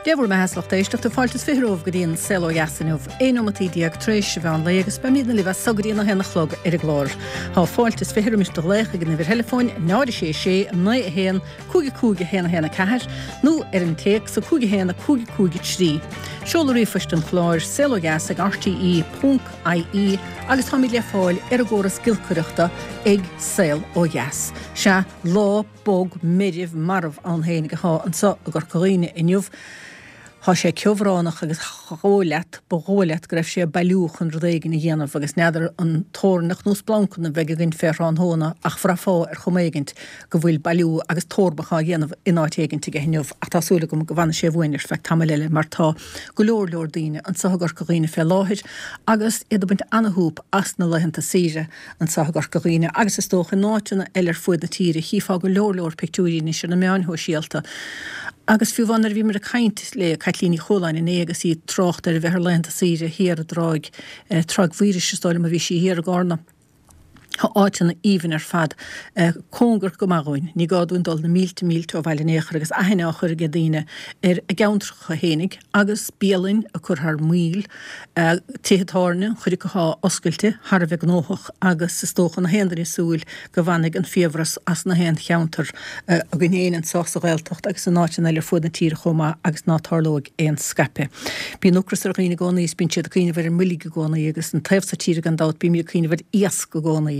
Dé bhur mbeatha a lucht éisteachta, fáilte is 20 romhaibh go dtí an Saol Ó Dheas inniu, 11 nóimeataí tar éis an mheán lae agus beimidne libh as so go dtí an 1 a chlog ar an gclár. Tá fáilte is 20 roimis do ghlaoch ag an uimhir theileafóin 0 6 6 9 1 5 5 1 1 4 nó ar an téacs 5 1 5 5 3. Seoladh ríomhphoist an chláir, saolodheas ag rte ponc ie agus táimid le fáil ar an gcóras giolcaireachta ag Saol Ó Dheas. Sea, lá. bog, meirbh, marbh ann féinig athá anso i gCorca Dhuibhne inniu. Thá sé ceobhránach agus dhóigh leat, ba dhóigh leat go raibh sé ag bailiú chun rud éigin a dhéanamh agus n'fheadar an toirneach nó splancanna a bheidh againn fé thráthnóna ach bhraithfeá ar chuma éigint go bhfuil bailiú agus tórramh á dhéanamh in áit éigint aige inniu ach tá súil agam go bhfanfaidh sé uainn ar feadh tamaill eile mar tá go leor leor daoine anso i gCorca Dhuibhne fé láthair agus iad ag baint ana-shúp as na laethanta saoire. Anseo i gCorca Dhuibhne, agus is dócha in áiteanna eile ar fuaid na tíre, chífeá go leor leor pictiúirí anois ar na meáin shóisialta. Agus fiú amháin nuair a bhíomar ag caint le Caitlín Ní Chualáin inné agus í ag trácht ar a bheith ar laethanta saoire thiar i dTráigh, Tráigh Mhaorais is dóigh liom a bhí sí thiar i gCarna. Tá áiteanna aoibhinn ar fad cóngarach go maith dhúinn. Ní gá dúinn dul na mílte mílte ó bhaile in aon chor agus aithne á chur ag daoine ar a gceantracha fhéinig agus bialainn ag cur thar maoil. Tithe tábhairne, an chuid acu athá oscailte, thar a bheith gnóthach agus is dócha nach aon duine ag súil go bhfanfaidh an fiabhras as na haon cheantar againn féin anseo sa Ghaeltacht agus in áiteanna eile ar fuaid na tíre chomh maith agus ná tarlóidh aon scaipeadh. Bíonn ocras ar dhaoine i gcónaí is bíonn siad ag cuimhneamh ar an mboilg i gcónaí agus an taobh so tíre gan dabht bímid ag cuimhneamh ar iasc i gcónaí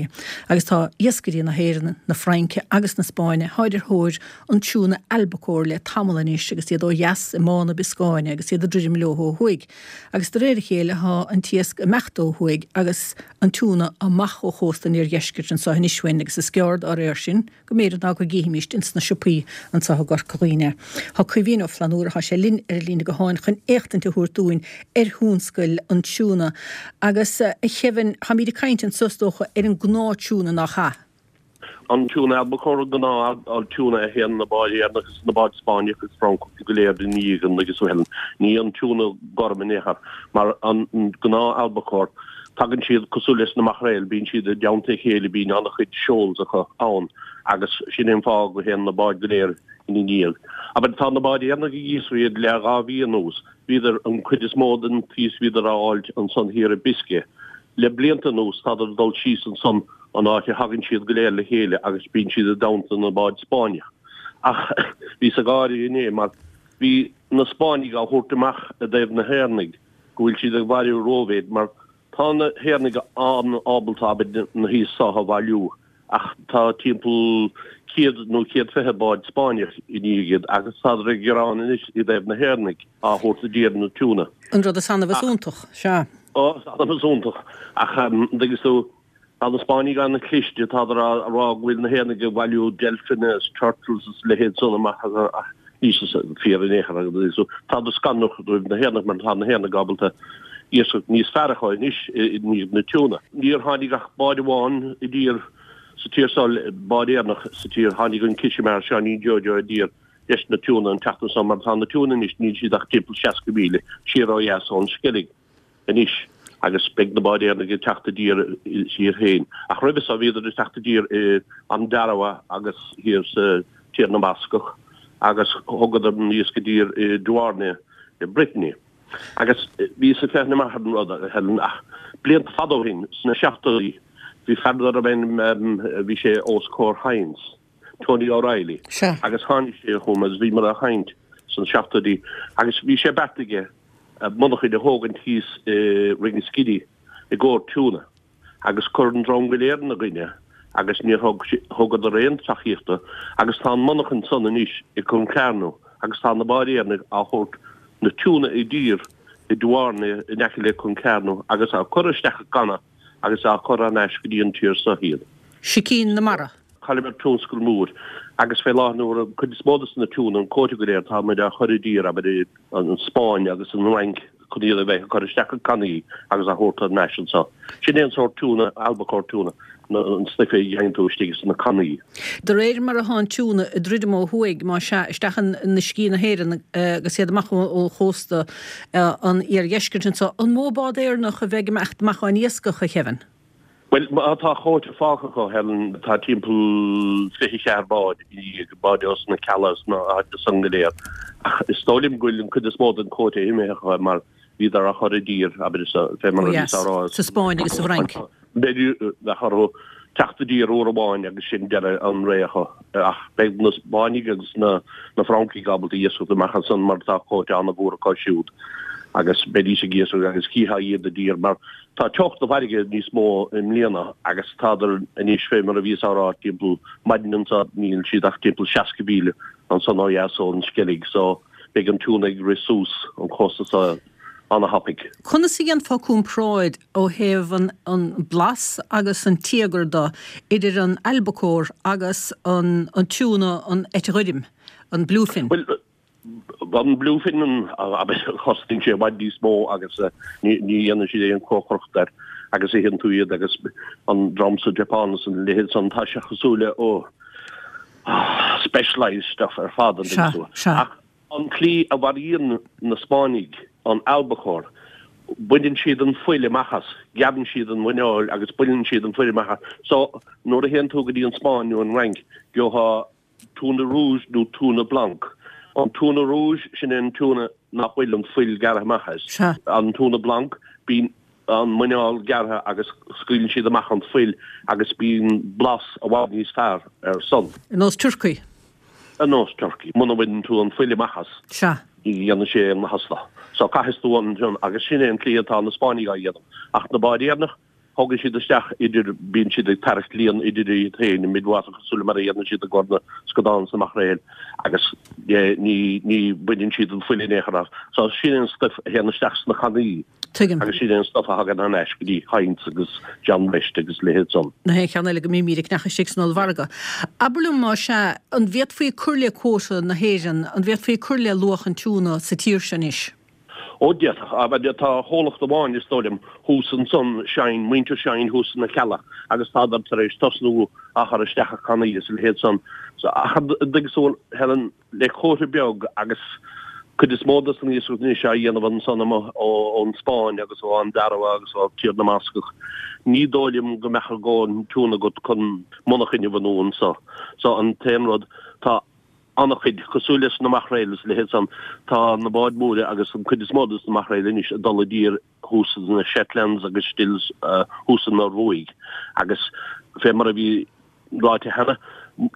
agus tá iascairí na hÉireann, na Fraince agus na Spáinne tháid ar thóir an tiúna albacore le tamall anois agus iad ó dheas i mBá na Bioscáine agus iad ag druidim leo ó thuaidh. Agus de réir a chéile thá an t-iasc ag imeacht ó thuaidh agus an tiúna amach ó chósta an iardheiscirt anso anois uainn agus is gearr dá réir sin go mb'fhéidir ná go gcífimíst ins na siopaí anso i gCorca Dhuibhne. Thá Caoimhín Ó Flannúra, thá sé linn ar an líne gutháin chun éachtaint a thabhairt dúinn ar thionscal an tiúna. Agus a Kevin, tháimíd ag caint anso is dócha ar an gnáth tiúna nach ea? An tiúna albacore, an gnáth tiúna a théann na báid Éireannach agus na báid Spáinneach agus Francach go léir ina dhiaidh an agus Helen. Ní an tiúna gorm in aon chor, mar an gnáth albacore, tagann siad cosúil leis na maicréil, bíonn siad i dteannta a chéile, bíonn an-chuid shoals acu ann agus sin é an fáth go théann na báid go léir ina ndiaidh. Abair, tá na báid Éireannacha ag iascach iad le 2 mhí anuas, bhíodar, an cuid is mó den t-iasc bhíodar á fháilt ansan thiar i Biscay. Le blianta anuas tádar ag dul síos ansan an áit a thagann siad go léir le chéile agus bíonn siad i dteannta na báid Spáinneach. Ach bhíos ag gáire inné mar bhí na Spáinnigh á thabhairt amach i dtaobh na hÉireannaigh go bhfuil siad ag bailiú rómhéid mar tá na hÉireannaigh an-ábalta abair na hiasc so a bhailiú ach tá timpeall 100 nó 120 bád Spáinneach i ndiaidh iad agus tádar ag gearán anois i dtaobh na hÉireannaigh á thabhairt i dtír na tiúna. An rud is annamh is iontach, sea. Ó, is annamh is iontach. Ach, an dtuigeann tú, tá na Spáinnigh an-chliste, tádar á rá go bhfuil na hÉireannaigh ag bailiú delphine is turtles is a leithéid san amach ach níl sé fíor in aon chor agus tádar scanrach roimh na hÉireannaigh mar tá na hÉireannaigh ábalta iascach níos fearr a chur anois i ndiaidh na tiúna. Níor tháinig ach bád amháin i dtír sa tír seo, bád Éireannach sa tír, tháinig an Cishimar Seáinín Joe Joe i dtír leis na tiúna an tseachtain seo mar tá na tiúna anois, níl siad ach timpeall 60 míle siar ó dheas ón Sceilg. anois agus beidh na báid Éireannaigh ag teacht i dtír siar féin. Ach roimhe seo bhíodar ag teacht i dtír i Ondarroa agus thiar sa Tír na mBascach agus thugadar an iasc i dtír i Douarnenez i Brittany. Agus bhíos ag féachaint amach ar an rud, a Helen, ach blianta fada ó shin, sna seachtóidí, bhí fear darbh ainm, bhí sé os comhair Hynes, Tony O'Reilly, agus tháinig sé chugam agus bhíomar ag caint sna seachtóidí agus bhí sé beartaithe aige monarchain a thógaint thíos i Ringaskiddy i gcomhair tiúna agus chuir an dream go léir ina gcoinne agus níor thug thugadar aon tacaíocht dó agus tá an monarchain san anois i Concarneau agus tá na báid Éireannaigh á thabhairt na tiúna i dtír i Douarnenez in aice le Concarneau agus á cur isteach i gcanna agus á cur thar n-ais go dtí an tír so iad. Sicín na mara. Chailleamar tionscal mór agus fé láthair na huaire an cuid is mó de na tiúna, an quota go léir, tá muid á chur i dtír, abair, an Spáinn agus an Fhrainc chun iad a bheith ag cur isteach i gcannaí agus á thabhairt thar n-ais anso. Sin é an sórt tiúna, albacore tuna, an stuif a gheibheann tú istigh sna cannaí. De réir mar atá an tiúna ag druidim ó thuaidh, más ea, isteach in uiscí na hÉireann agus iad amach ó chósta an iardheiscirt anso, an mó bád Éireannach a bheidh ag imeacht amach á n-iascach, a Kevin? Bhuel, má tá quota fágtha acu, Helen, tá timpeall 24 bád i ndiaidh, báid ós na Cealla is na háite san go léir. Ach is dóigh liom go bhfuil an cuid is mó den quota imithe acu mar bhíodar á chur i dtír, abair, fé mar a bhíos á rá. Sa Spáinn agus sa bhFrainc. B'fhéidir bheadh orthu teacht i dtír uair amháin agus sin deireadh an ré acu. Ach beidh na Spáinnigh agus na Francaigh ábalta iascach amach ansan mar tá quota an-mhór acu siúd agus beidís ag iascach agus chífeá iad i dtír mar Tá teocht na farraige níos mó i mbliana agus tádar anois fé mar a bhíos á rá timpeall maidin anso níl siad ach timpeall 60 mhíle ansan ó dheas ón Sceilg so beidh an tiúna ag rith suas an cósta so ana-thapaidh. Conas a dhéanfá comparáid ó thaobh an an blas agus an tíogar de idir an albacore agus an an tiúna an eite ghoirm, an bluefin? Bhuel, An bluefin cosnaíonn sé i bhfad níos mó agus ní dhéanann siad aon chócaireacht air agus itheann tú iad agus an dream sa Japan is an leithéid san tá sé cosúil le oh specialised stuff ar fad an dtuigeann tú. Ach an tslí a mharaíonn na Spáinnigh an albacore baineann siad an fuil amach as, gearrann siad an mhuineál agus baineann siad an fuil amach as. So nuair a théann tú go dtí an Spáinn nó an Fhrainc gheofá Tuna rouge nó tuna blanc. An tuna rouge, sin é an tuna nach bhfuil an fuil gearrtha amach as. Sea. An tuna blanc, bíonn an muineál gearrtha agus scaoileann siad amach an fuil agus bíonn blas i bhfad níos fearr air san. Ar nós turcaí. Ar nós turcaí. Muna mbaineann tú an fuil amach as. Sea. Ní dhéanann sé aon mhaitheas dó. So caithfidh tú an, agus sin é an tslí atá na Spáinnigh á dhéanamh. Ach na báid Éireannach, Tógann siad isteach idir, bíonn siad ag tarraingt líon idir iad féin, i midwater cosúil le mar a dhéanann siad i gcomhair na scadán is na maicréil agus ní, ní bhaineann siad an fuil in aon chor as. So sin é an stuif a théann isteach sna cannaí. Tuigim. Agus sin é an stuif a thagann thar n-ais go dtí Heinz agus John West agus leithéid san. Na haon cheann eile go mbímid ag ceannach istigh san ollmhargadh. Abair liom más ea, an bhféadfaí cur le quota na hÉireann, an bhféadfaí cur le luach an tiúna sa tír seo anois? Ó, d'fhéadfadh. Tá comhlacht amháin, is dóigh liom, thuas ansan, Shine, muintir Shine thuas sna Cealla agus tádar tar éis tosnú á chur isteach i cannaí is a leithéid san. So, ach an dtuigeann tú, Helen, le quota beag agus cuid is mó dos an iascach anois á dhéanamh ansan amuigh ón Spáinn agus ó Andorra agus ó Tír na mBascach, ní dóigh liom go mbeadh a dhóthain tiúna agat chun monarchain a bhunú anso. So, an t-aon rud, tá. an-chuid, cosúil leis na maicréil is a leithéid san, tá na báid mhóra agus an cuid is mó dos na maicréil anois ag dul i dtír thuas sna Shetlands agus still thuas san Ioruaidh agus fé mar a bhí ráite cheana,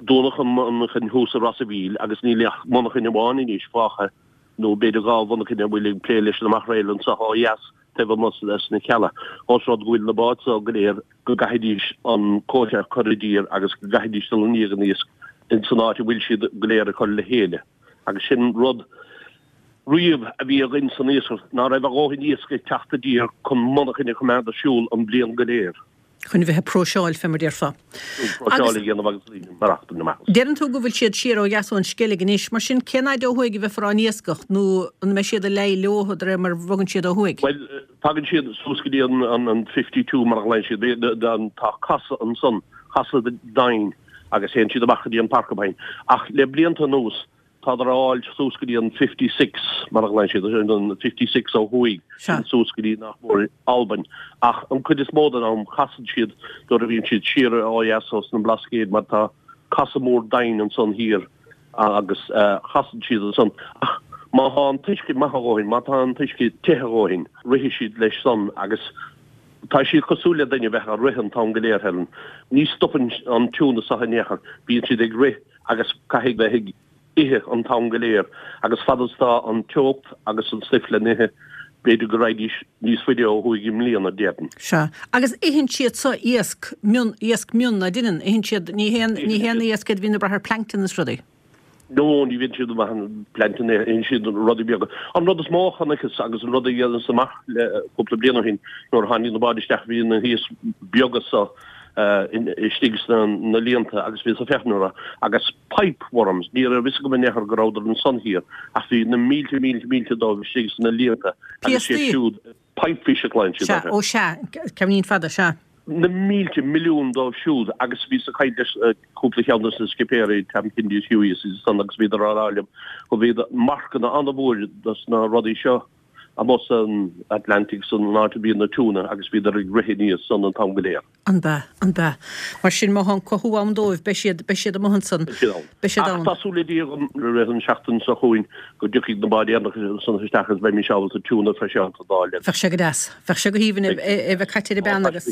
dúnadh an mhonarchain thuas i Ros a' Mhíl agus níl ach monarchain amháin anois fágtha nó b'fhéidir 2 mhonarchain a bhfuil ag plé leis na maicréil anso ó dheas taobh amuigh sna Cealla. Ós rud go bhfuil na báid so go léir go gcaithfidís an quota a chur i dtír agus go gcaithfidís dul i ndiaidh an iasc in san áit a bhfuil siad go léir ag cur le chéile. Agus sin rud riamh a bhí againn san iascaireacht, ná raibh a dhóthain iasc ag teacht i dtír chun monarchain a choimeád ar siúl an bhliain go léir. Chun a bheith ag próiseáil, fé mar déarfá. Próiseáil a dhéanamh agus maireachtaint amach as. Deireann tú go bhfuil siad siar ó dheas ón Sceilg anois, mar sin cén fhaid ó thuaidh a bheifear á n-iascach nó an mbeidh siad ag leí leo de réir mar a bhogann siad ó thuaidh? Bhuel, Tagann siad suas go dtí an 52 mar a ghlaonn siad. Tá casadh ansan, casadh doimhin agus théann siad amach go dtí an Porcupine. Ach le blianta anuas tádar á fháil suas go dtí an 56 mar a ghlaonn siad, an 56 ó thuaidh, sin suas go dtí nach mór Albain. Ach an cuid is mó den am casann siad nuair a bhíonn siad siar ó dheas ós na Blascaoid mar tá casadh mór doimhin ansan thiar. agus casann siad ansan. Ach má thá an t-uisce maith a dhóthain, má tá an t-uisce te a dhóthain, rithfidh siad leis san agus tá siad cosúil le duine a bheith ag rith an t-am go léir, Helen. Ní stopann an tiúna so in aon chor, bíonn siad ag rith agus caithfidh bheith ag ithe an t-am go léir agus fad is tá an teocht agus an stuif le n-ithe, b'fhéidir go raghaidís níos faide ó thuaidh i mbliana, déarfainn. Sea. Agus itheann siad so iasc mion, iasc mion, ná deineann? Itheann siad, ní haon, ní haon iasc iad a bhíonn ag brath ar plankton is rudaí. No, ní bhíonn siad ag brath ar plankton, itheann siad rudaí beaga. An rud is mó a chonaiceas agus an rud a dheineas amach le cúpla bliain ó shin, nuair a tháinig na báid isteach, bhí na hiasc beaga so, istigh sna na líonta agus bhíos ag féachaint orthu agus pipe worms, ní raibh fhios agam in aon chor go rabhadar ansan thiar ach bhí na mílte mílte mílte dóibh istigh sna líonta agus siad siúd, pipe fish a ghlaonn siad Sea, orthu. ó sea, ceainnín fada, sea. Na mílte milliún dóibh siúd agus bhíos ag caint leis cúpla cheann dos na scipéirí, Tam Kindy is Hughie is iad san agus bhíodar á rá liom go bhí marcanna an-mhór dos na rudaí seo amuigh san Atlantic san áit a bhíonn na tiúna agus bhíodar ag rith aníos san an t-am go léir. An bea, an bea. Mar sin, má thá an cothú ann dóibh, beidh siad, beidh siad amuigh ansan. Beidh siad ann. Beidh siad Ach ann. tá súil le Dia agam i rith an seachtain seo chugainn go dtiocfaidh na báid Éireannacha san isteach agus beimís ábalta tuna freiseálta d'fháil agus. Bheadh sé go deas. Bheadh sé go haoibhinn é a bheith caite ar an bpeann agus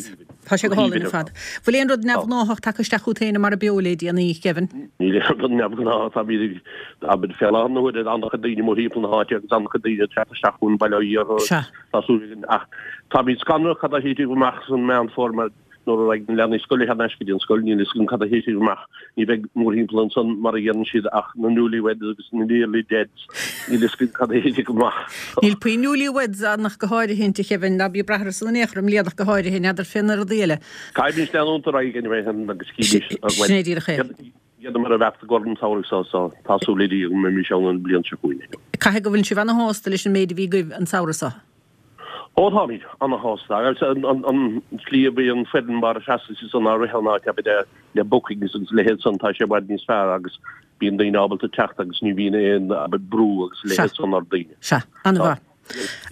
tá sé go hálainn ar fad. Bhfuil aon rud neamhghnáthach tagtha isteach chugat féin i Mara Beo le déanaí, Kevin? Níl aon rud neamhghnáthach, táimid ag, abair, fé láthair na huaire, an-chuid daoine amuigh thimpeall na háite agus an-chuid daoine ag teacht isteach chun Baile Átha Iartha. Sea. Tá súil againn ach táimid scanrach cad a thitfidh amach san Meán Fómhair mar nuair a raghaidh na leanaí scoile thar n-ais go dtí an scoil níl fhios againn cad a thitfidh amach. Ní bheidh mórthimpeall ansan mar a dheireann siad ach na newlyweds agus na nearly deads. Níl fhios againn cad a thitfidh amach. Níl puinn newlyweds ann ach go háirithint, a Kevin, ná bí ag brath orthu san in aon chor i mbliana ach go háirithe, n'fheadar fé na rudaí eile. Caithfimís leanúint ar aghaidh anyway agus chífimís. Sin é díreach é. Dheineamar an bheart i gcomhair an tsamhraidh seo so tá súil le Dia go mbeimís ann an bhliain seo chugainn. Caithfidh go bhfuil sibh ana-shásta leis an méid a bhí agaibh an samhradh seo? Ó táimid ana-shásta agus an tslí a bhí an foireann mar a sheasann sí san á rith an áit abair le bookings agus a leithéid san tá sé i bhfad níos fearr agus bíonn daoine ábalta teacht agus ní bhíonn aon abair brú agus a leithéid san ar daoine. Sea, ana-mhaith.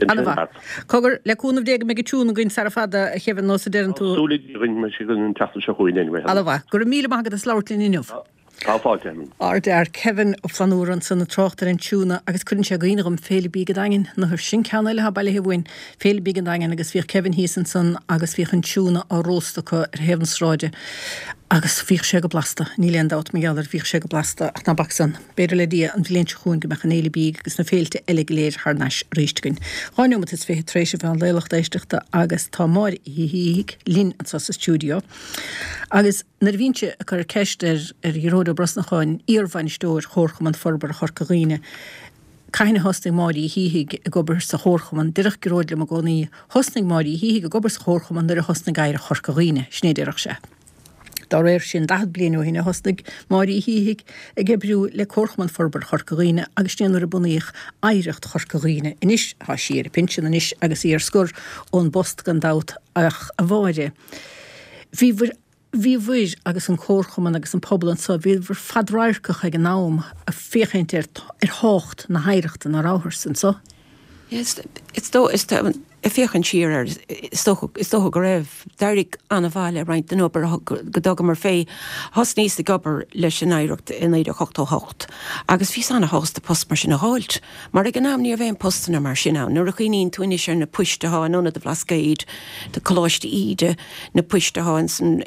Ana-mhaith. Cogar, le cúnamh Dé go mbeidh an tiúna againn sara fada, a Kevin, nós a deireann tú. Tá súil againn go mbeidh sé againn an tseachtain seo chugainn anyway. Ana-mhaith. Go raibh míle maith agat as labhairt linn inniu. Tá fáilte, Eamon. Ardfhear Kevin Ó Flannúra ansan ag trácht ar an tiúna agus cuireann sé i gcuimhne dhom Féile Bídh an Daingin. Nuair sin ceann eile atá bailithe uainn, Féile Bídh an Daingin agus bhíodh Kevin thíos ansan agus bhíodh an tiúna á róstadh acu ar thaobh na sráide agus bhíodh sé go blasta, níl aon dabht mar gheall air, bhíodh sé go blasta ach ná bac san. B'fhéidir le Dia an bhliain seo chugainn go mbeadh an Fhéile Bídh agus na féilte eile go léir thar n-ais arís againn. 2 neomat is 20 tar éis an mheán lae lucht éisteachta agus tá Máire Uí Shíthigh linn anseo sa stiúideo. Agus nuair a bhínnse ag cur ceist ar ar Ghearóid Ó Brosnacháin, iar-bhainisteoir Chomharchumann Forbartha Chorca Dhuibhne, cathain a thosnaigh Máire Uí Shíthigh ag obair sa Chomharchumann, déarfadh Gearóid liom i gcónaí, thosnaigh Máire Uí Shíthigh ag obair sa Chomharchumann nuair a thosnaigh Oidhreacht Chorca Dhuibhne, sin é a déarfadh sé. Dá réir sin, 40 bliain ó shin a thosnaigh Máire Uí Shíthigh ag oibriú le Comharchumann Forbartha Chorca Dhuibhne agus sin é nuair a bunaíodh Oidhreacht Chorca Dhuibhne. Anois, tá sí ar a pinsean anois agus í ar scor ón bpost gan dabht ach, a Mháire, bhíobhair, bhíobhair agus an Comharchumann agus an pobal anseo, bhíobhair fadradharcach ag an am ag féachaint ar, ar thábhacht na hoidhreachta, ná rabhthar anseo? Is dóigh, ag féachaint siar air, is dócha, is dócha go raibh. D'éirigh an-mhaith le roinnt den obair go dtugamar fé. Thosnaíos ag obair leis an Oidhreacht i 1988 agus bhíos an-shásta post mar sin a dh'fháilt, mar ag an am ní raibh aon postanna mar sin ann. Nuair a chuimhníonn tú anois ar na poist athá in Ionad an Bhlascaoid, Coláiste Íde, na poist athá ins an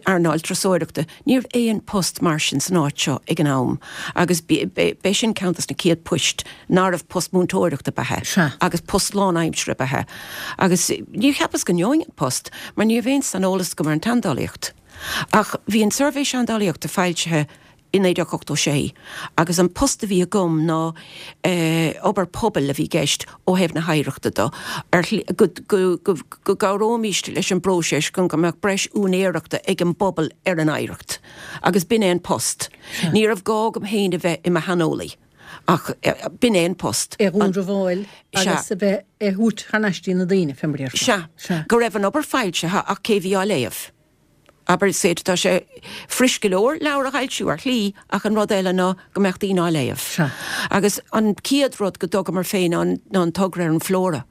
earnáil turasóireachta, Ní raibh aon post mar sin san áit seo ag an am agus b'é sin ceann dos na céad poist nárbh post múinteoireachta ab ea Sea. agus post lán-aimsire ab ea. Agus níor cheapas go ngeobhainn an post mar ní raibh aon saineolas agam ar an tseandálaíocht. Ach bhí an Suirbhé Seandálaíochta foilsithe i 1986 agus an post a bhí agam ná obair pobail a bhí i gceist ó thaobh na hoidhreachta do, ar shlí, go, go, go, go gcabhróimíst leis an bpróiseas chun go mbeadh breis úinéireachta ag an bpobal ar an oidhreacht. Agus b'in é an post. Ní raibh gá agam féin a bheith i mo shaineolaí, ach b'in é an post. É a dhúnrabháil agus a bheith é thabhairt thar n-ais dtí na daoine, fé mar a déarfá. Sea. Go raibh an obair foilsithe ach cé bhí á léamh? Abair, is féidir, tá sé fuirist go leor leabhar a fhoilsiú ar shlí ach an rud eile ná go mbeadh daoine á léamh. Sea. Agus an chéad rud go dtugamar fé ná an togra ar an Flora.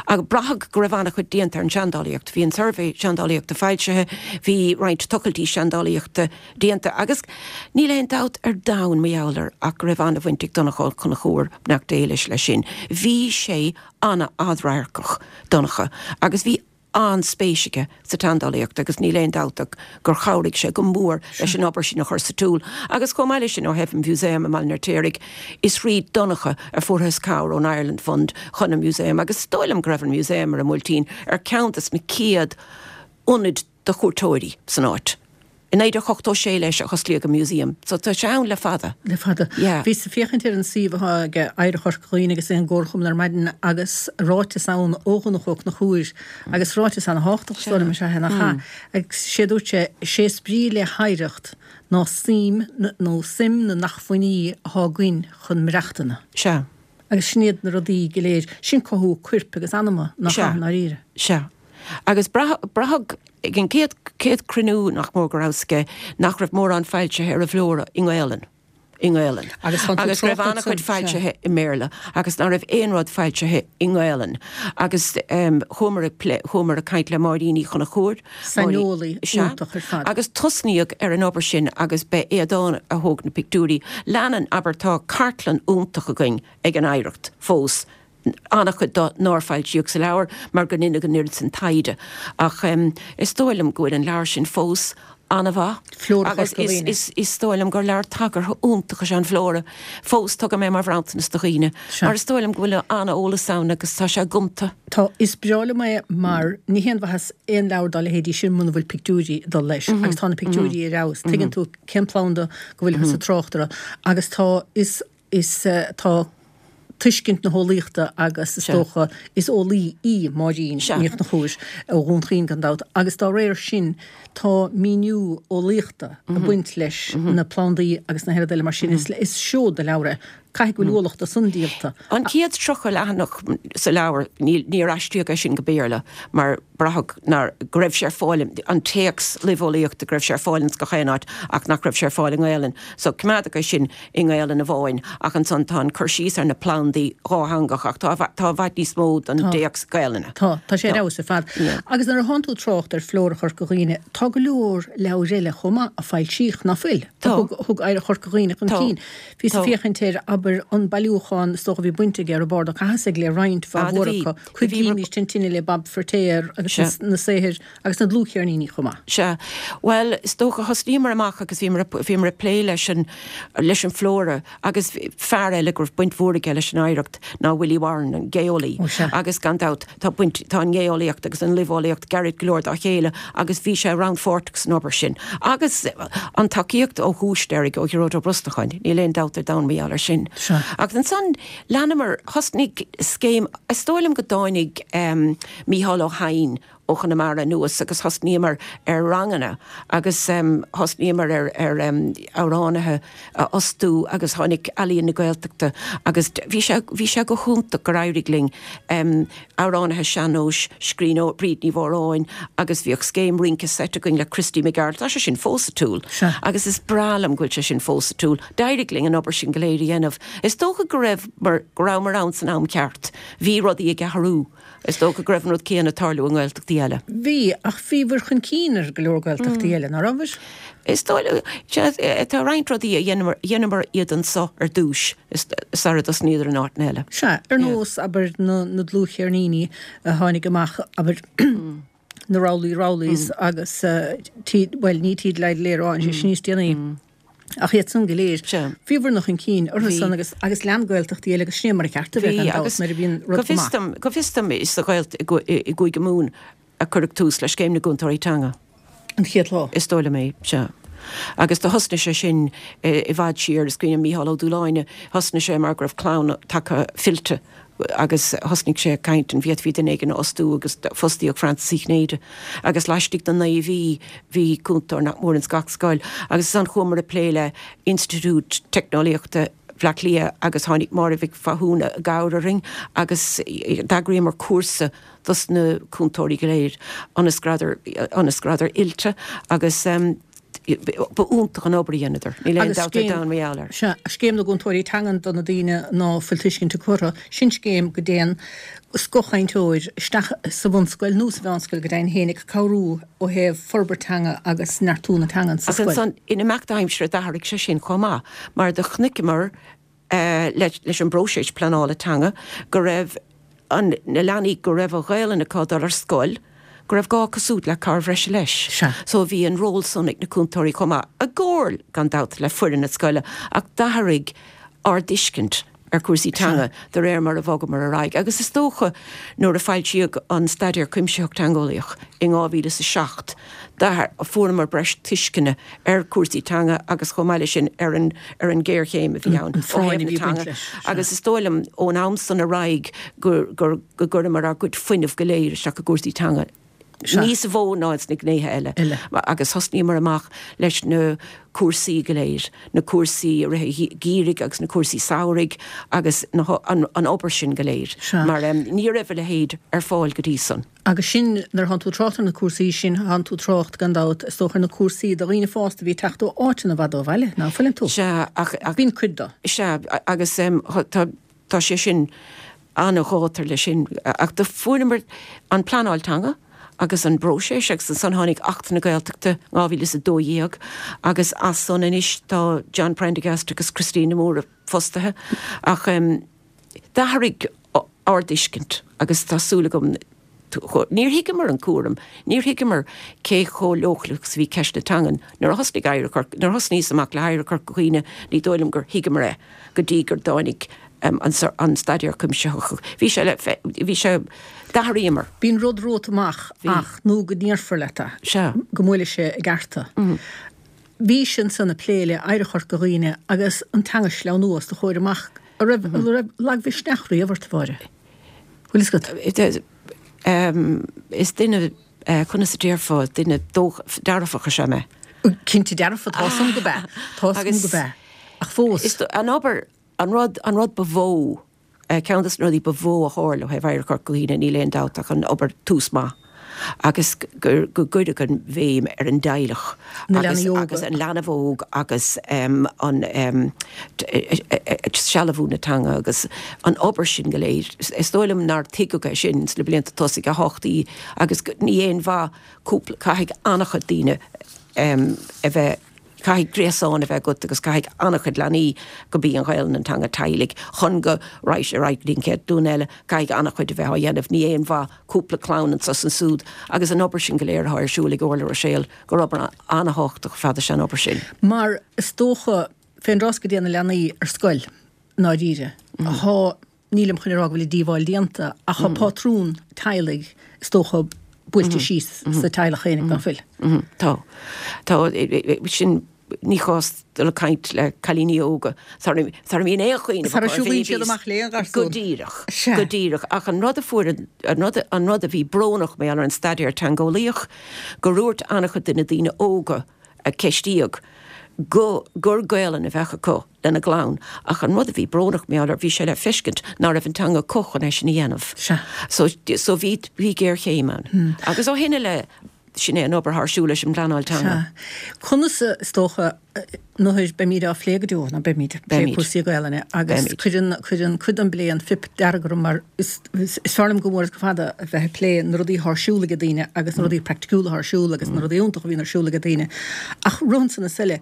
Agus braitheadh go raibh an-chuid déanta ar an seandálaíocht. Bhí an suirbhé seandálaíochta foilsithe, bhí roinnt tochailtí seandálaíochta déanta agus níl aon dabht ar domhan mar gheall air ach go raibh an-bhaint ag Donncha Ó Conchúir, beannacht Dé leis, leis sin. Bhí sé an-fhadradharcach, Donncha, agus bhí an-spéis aige sa tseandálaíocht agus níl aon dabht ach gur chabhraigh sé go mór leis an obair sin a chur sa tsiúl. Agus chomh maith leis sin, ó thaobh an Mhúsaeim i mBaile an Fheirtéaraigh, is thríd Donncha a fuarthas cabhair ón Ireland Fund chun an Músaem agus is dóigh liom go raibh an Músaem ar an mBuailtín ar ceann des na céad ionaid do chuairteoirí san áit. I 1986 leis a hosclaíodh an Museum, so tá sé ann le fada. Le fada. Yeah. Bhíos ag féachaint ar an suíomh atá ag Oidhreacht Chorca Dhuibhne agus ag an gComharchumann ar maidin agus ráiteas ann ó Dhonncha Ó Conchúir agus ráiteas ana-thábhachtach is dóigh liom is ea é nach ea? Agus sé a dúirt sé, sé is brí le hoidhreacht ná suim nó suim na n-acmhainní atá againn chun maireachtana. Sea. Agus sin iad na rudaí go léir, sin cothú coirp agus anama nach Sea. ea i ndáiríre? Sea. Agus braitheadh ag an gcéad chéad cruinniú nach mór go rabhas aige nach raibh mórán foilsithe ar an bhflóra i nGaolainn. i nGaelainn Agus tá tú agus go raibh trácht an-chuid ansan, sea. foilsithe i mBéarla agus ná raibh aon rud foilsithe i nGaelainn. Agus chuamar ag plé, chuamar ag caint le Máirín Uí Chonchúir, Máirín, Saineolaí sea, iontach ar fad. agus tosnaíodh ar an obair sin agus b'é Aodán a thóg na pictiúirí. Leanann, abair, tá cartlann iontach againn ag an Oidhreacht fós, an-chuid de nár foilsíodh sa leabhar mar gur deineadh an oiread sin taighde ach is dóigh liom go bhfuil an leabhar sin fós an-mhaith Flóra agus Chorca Dhuibhne. is dóigh liom gur leabhar tagartha iontach is ea an Flóra fós. Tugaim é mar bhronntanas do dhaoine mar is dóigh liom go bhfuil an-eolas ann agus tá sé gonta. Tá, is breá liom é mar ní haon mhaitheas aon leabhar dá leithéidí sin muna bhfuil pictiúirí ag dul leis agus tá na pictiúirí ar fheabhas. Tuigeann tú cén planda go bhfuilthear ag trácht air agus tá, is. Is tá tuiscint na heolaíochta agus is dócha is eolaí í Máirín Ní Chonchúir ó Dhún Chaoin gan dabht agus dá réir sin tá míniú eolaíochta ag baint leis na plandaí agus na rudaí eile mar sin. Is seod de leabhar é. Caithfidh go bhfuil ualach de san díolta. An chéad 30 leathanach sa leabhar, níor aistríodh é sin go Béarla mar braitheadh nár, go raibh sé ar fáil, an téacs luibheolaíochta, go raibh sé ar fáil ins gach aon áit ach nach raibh sé ar fáil i nGaelainn. So coimeádadh é sin i nGaelainn amháin ach ansan tá an cur síos ar na plandaí dhátheangach ach tá, tá i bhfad níos mó den dtéacs Gaelainne. Tá, tá sé ar fheabhas ar fad. Agus nuair atánn tú ag trácht ar Flóra Chorca Dhuibhne, tá go leor leabhair eile chomh maith a foilsíodh, ná fuil? Tá. A thug Oidhreacht Chorca Dhuibhne chun cinn. Bhíos ag féachaint ar, abair, an bailiúchán, is dócha a bhí baint aige Roibeárd Ó Cathasaigh le roinnt mhaith mhór acu, Coigrímis an Tine le Bob Feiritéar agus na saothair agus na dlúthcheirníní chomh maith. Sea. Bhuel, is dócha, thosnaíomar amach agus bhíomar, bhíomar ag plé leis an, leis an Flóra agus fear eile go raibh baint mhór aige leis an oidhreacht ná Willie Warren, an geolaí. Ó sea. Agus gan dabht, tá baint, tá an gheolaíocht agus an luibheolaíocht gairid go leor dá chéile agus bhí sé rannpháirteach san obair sin. Agus an tacaíocht ó thús deiridh ó Ghearóid Ó Brosnacháin, níl aon dabht ar domhan mar gheall air sin. Sea. Agus ansan leanamar, thosnaigh scéim, is dóigh liom go dtáinig Mícheál Ó hEidhin ó Chonamara anuas agus thosnaíomar ar ranganna agus thosnaíomar ar ar amhránaithe a fhostú agus tháinig Ealaíon na Gaeltachta agus bhí sé bhí sé go hiontach gur éirigh linn amhránaithe sean-nóis, scríbhneoir Bríd Ní Mhóráin agus bhíodh scéim rince seit againn le Christy Mac Gearailt, tá sé sin fós ar siúl agus is breá liom go bhfuil sé sin fós ar siúl. D'éirigh linn an obair sin go léir a dhéanamh. Is dócha go raibh mar go rabhamar ann san am ceart. Bhí rudaí ag athrú. Is dócha go raibh an rud céanna ag tarlú i nGaeltachtaí eile. Bhí, ach bhíobhair chun cinn ar go leor Gaeltachtaí eile, ná rabhair? Is dóigh liom, sea, tá roinnt rudaí a dheineamar, dheineamar iad anso ar dtúis sara dtosnaíodar in áiteanna eile. Sea, ar nós, abair, na, na dlúthcheirníní a tháinig amach, abair, na Rowley Rowleys agus T, bhuel, ní Tí Leidléar a tháinig sé sin níos déanaí. Ach iad san go léir, bhíobhair-ne chun cinn orthu san agus agus lean Gaeltachtaí eile agus sin é mar a cheart a bheith gan dabht nuair a bhíonn rud go maith. Go bhfios dom is sa Ghaelt i gCúige Mumhan a cuireadh tús le Scéim na gCúntóirí Teanga. An chéad lá. Is dóigh liom é, sea. Agus do thosnaigh sé sin i bhfad siar, is cuimhin liom Mícheál Ó Dúláine, thosnaigh sé mar go raibh clann tagtha fillte agus thosnaigh sé ag caint an bhféadfaí duine éigin a fhostú agus fostaíodh Frances Uí Chinnéide agus laistigh de naoi mhí bhí cúntóir nach mór ins gach scoil agus ansan chuamar ag plé le Institiúid Teicneolaíochta Bhaile Átha Cliath agus tháinig Máire Mhic Mhathúna i gcabhair orainn agus d'eagraíomar cúrsa dos na cúntóirí go léir ionas go rabhadar ionas go rabhadar oilte agus Ba iontach an obair a dheineadar. Níl aon dabht ar domhan mar gheall air. Sea, Scéim na gCúntóirí Teangan do na daoine ná fuil tuiscint acu orthu. Sin scéim go dtéann scothchainteoir isteach sa bhunscoil nó sa mheánscoil go deimhin féin ag cabhrú ó thaobh forbairt teanga agus neartú na teangan sa scoil. Agus ansan, in imeacht aimsire d'athraigh sé sin chomh maith mar do chonaiceamar leis an bpróiseas pleanála teanga go raibh an, na leanaí go raibh an Ghaelainn acu ag dul ar scoil, go raibh gá acu siúd le cabhair bhreise leis. Sea. So bhí an ról san ag na cúntóirí chomh maith, i gcomhar, gan dabht, le foireann na scoile, ach d'athraigh ár dtuiscint ar chúrsaí teanga de réir mar a bhogamar ar aghaidh. Agus is dócha nuair a foilsíodh an Staidéar Cuimsitheach Teangeolaíoch in 2007, fuaireamar breis tuisceana ar chúrsaí teanga agus chomh maith leis sin ar an ar an ghéarchéim a bhí ann ó thaobh na teanga agus is dóigh liom ón am san ar aghaidh gur gur go gcuireamar ár gcuid fuinnimh go léir isteach i gcúrsaí teanga. Níos mó ná ins na gnéithe eile. Agus thosnaíomar amach leis na cúrsaí go léir, na cúrsaí i rith an gheimhridh agus na cúrsaí samhraidh agus an obair sin go léir. Mar ní raibh a leithéid ar fáil go dtí san. Agus sin, nuair a thánn tú ag trácht ar na cúrsaí sin, thánn tú ag trácht, gan dabht, is dócha, ar na cúrsaí do dhaoine fásta a bhí ag teacht ó áiteanna i bhfad ó bhaile, ná fuileann tú? Sea, ach. Bíonn cuid de. Sea, agus tá. Tá sé sin an-ghátar leis sin. Ach do fuaireamar an pleanáil teanga agus an bpróiseas agus ansan tháinig Acht na Gaeltachta 2012 agus as san anois tá John Prendergast agus Christine de Mórdha fostaithe. Ach d'athraigh ár dtuiscint agus tá súil agam Níor thuigeamar an cúram, níor thuigeamar cé chomh leochaileach is a bhí ceist na teangan. Nuair a thosnaigh Oidhreacht Chorca, nuair a thosnaíos amach le hOidhreacht Chorca Dhuibhne, ní dóigh liom gur thuigeamar é go dtí gur dtáinig an staidéar cuimsitheach. Bhí sé le, bhí sé, d'athraíomar. Bíonn rud romhat amach ach nó go ndéarfar leat é. Sea. Go mbuailfidh sé i gceart tú. Bhís ansan ag plé le Oidhreacht Chorca Dhuibhne agus an teanga a shleamhnú os do chomhair amach. An raibh, an raibh lagmhisneach riamh ort, a Mháire? Bhfuil fhios agat? Is duine, conas a déarfá, duine dearfach is ea mé. Cinnte dearfa, tá 'fhios a'm go b'ea. Tá 'fhios a'm go b'ea. Ach fós. Is an obair, an rud, an rud ba mhó, ceann de na rudaí ba mhó a tharla ó thaobh Oidhreacht Chorca Dhuibhne, níl aon dabht ach an obair Tús Maith. agus go gcuireadh an bhéim ar an dteaghlach agus agus an leanbh óg agus an sealbhú na teanga agus an obair sin go léir. Is dóigh liom nár tuigeadh é sin sna blianta tosaigh a thábhachtaí agus ní aon mhaith cúpla, caithfidh an-chuid daoine a bheith Caithfidh gréasán a bheith agat agus caithfidh an-chuid leanaí go b'í an Ghaelainn an teanga teaghlaigh chun go raghaidh sé ar aghaidh go dtí an chéad ghlúin eile. Caithfidh an-chuid a bheith á dhéanamh. Ní aon mhaith cúpla clann anso is ansúd agus an obair sin go léir atá ar siúl ag Orla Ruiséal, gur obair an-thábhachtach ar fad is ea an obair sin. Mar is dócha, fén dtráth go dtéann na leanaí ar scoil, i ndáiríre, thá, Nílim chun a rá go bhfuil an díobháil déanta ach tá pátrún teaghlaigh is dócha buailte síos sa teaghlach féinig, ná fuil? Tá. Tá. Sin, ní chás dul ag caint le cailíní óga sara mbíonn aon chuimhneamh acu ar bhéibís. Sara siúlaíonn siad amach le aon gharsún. Go díreach. Go díreach. Ach an rud a fuair, an rud, an rud a bhí brónach mar gheall ar an staidéar teangeolaíoch, gur dhúirt an-chuid de na daoine óga a ceistíodh go, gur Gaolainn a bheadh acu. lena gclann, ach an rud a bhí brónach mar gheall air, bhí sé le feiscint ná raibh an teanga acu chun é sin a dhéanamh. Sea. So, so bhí, bhí géarchéim ann. Agus ó shin i leith, sin é an obair atá ar siúl leis an bpleanáil teanga. Sea. Conas, is dócha, nuair, beimid á phlé go deo, ná beimid, ag plé cúrsaí Gaelainne, agus cuireann, cuireann cuid den bplé an phip dearg orm mar is, is fearr liom go mór is go fada a bheith ag plé na rudaí atá ar siúl ag daoine agus na rudaí praiticiúla atá ar siúl agus na rudaí iontacha a bhíonn ar siúl ag daoine. Ach rud ansan is eile,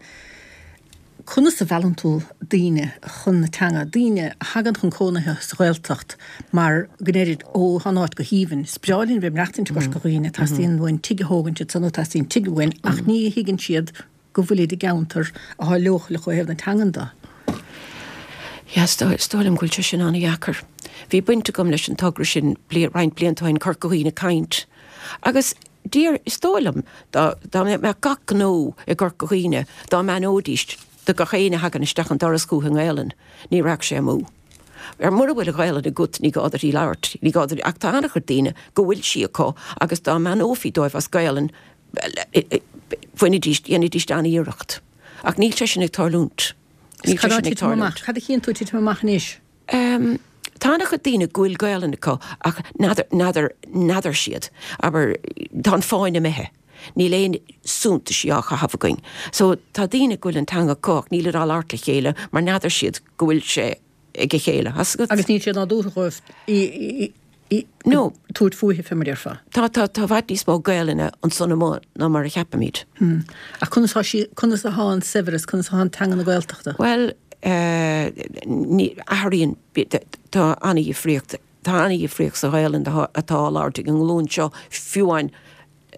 Conas a mheallann tú daoine chun na teanga, daoine a thagann chun cónaithe sa Ghaeltacht mar go ndeirid 'Ó, tá an áit go haoibhinn, is breá linn bheith ag maireachtaint i gCorca Dhuibhne, teastaíonn uainn tigh a thógaint ansan nó teastaíonn tigh uainn' ach ní thuigeann siad go bhfuilid i gceantar atá leochaileach ó thaobh na teangan de. Yeah, is dóigh liom go bhfuil sé sin an-dheacair. Bhí baint agam leis an togra sin roinnt blianta ó shin, Corca Dhuibhne ag Caint, agus Dear, is dóigh liom dá mbeadh gach gnó i gCorca Dhuibhne, dá mbeannóidís do gach éinne a thagann isteach an doras chucu i nGaelainn, ní rachadh sé amú. Ar mura bhfuil an Ghaelainn agat ní gá duit í labhairt, ní gá duit, ach tá an-chuid daoine go bhfuil sí acu agus dá mbeannófaí dóibh as Gaelainn, bhainfidís, dhéanfaidís an-iarracht. Ach níl sé sin ag tarlúint. Níl sé sin ag tarlúint. Cad a chíonn tú ag titim amach anois? Tá an-chuid daoine go bhfuil Gaelainn acu ach n'fheadar, n'fheadar, n'fheadar siad. Abair, tá an fáinne imithe. Níl aon suntaisí á chaitheamh againn. So, tá daoine go bhfuil an teanga acu ach nílid á labhairt le chéile mar n'fheadar siad go bhfuil sé ag a chéile. Tá 'fhios agat? Agus níl sé nádúrtha dhóibh í No. tabhairt fúithi, fé mar a déarfá. Tá, tá, tá i bhfad níos mó Gaelainne ansan amuigh ná mar a cheapaimid. Ach conas tá sí, conas atá an saibhreas, conas atá an teanga na Gaeltachta? Bhuel, eh, ní, athraíonn, tá an-dhifríocht, tá an-dhifríocht sa Ghaelainn atá á labhairt ag an nglúin seo, fiú amháin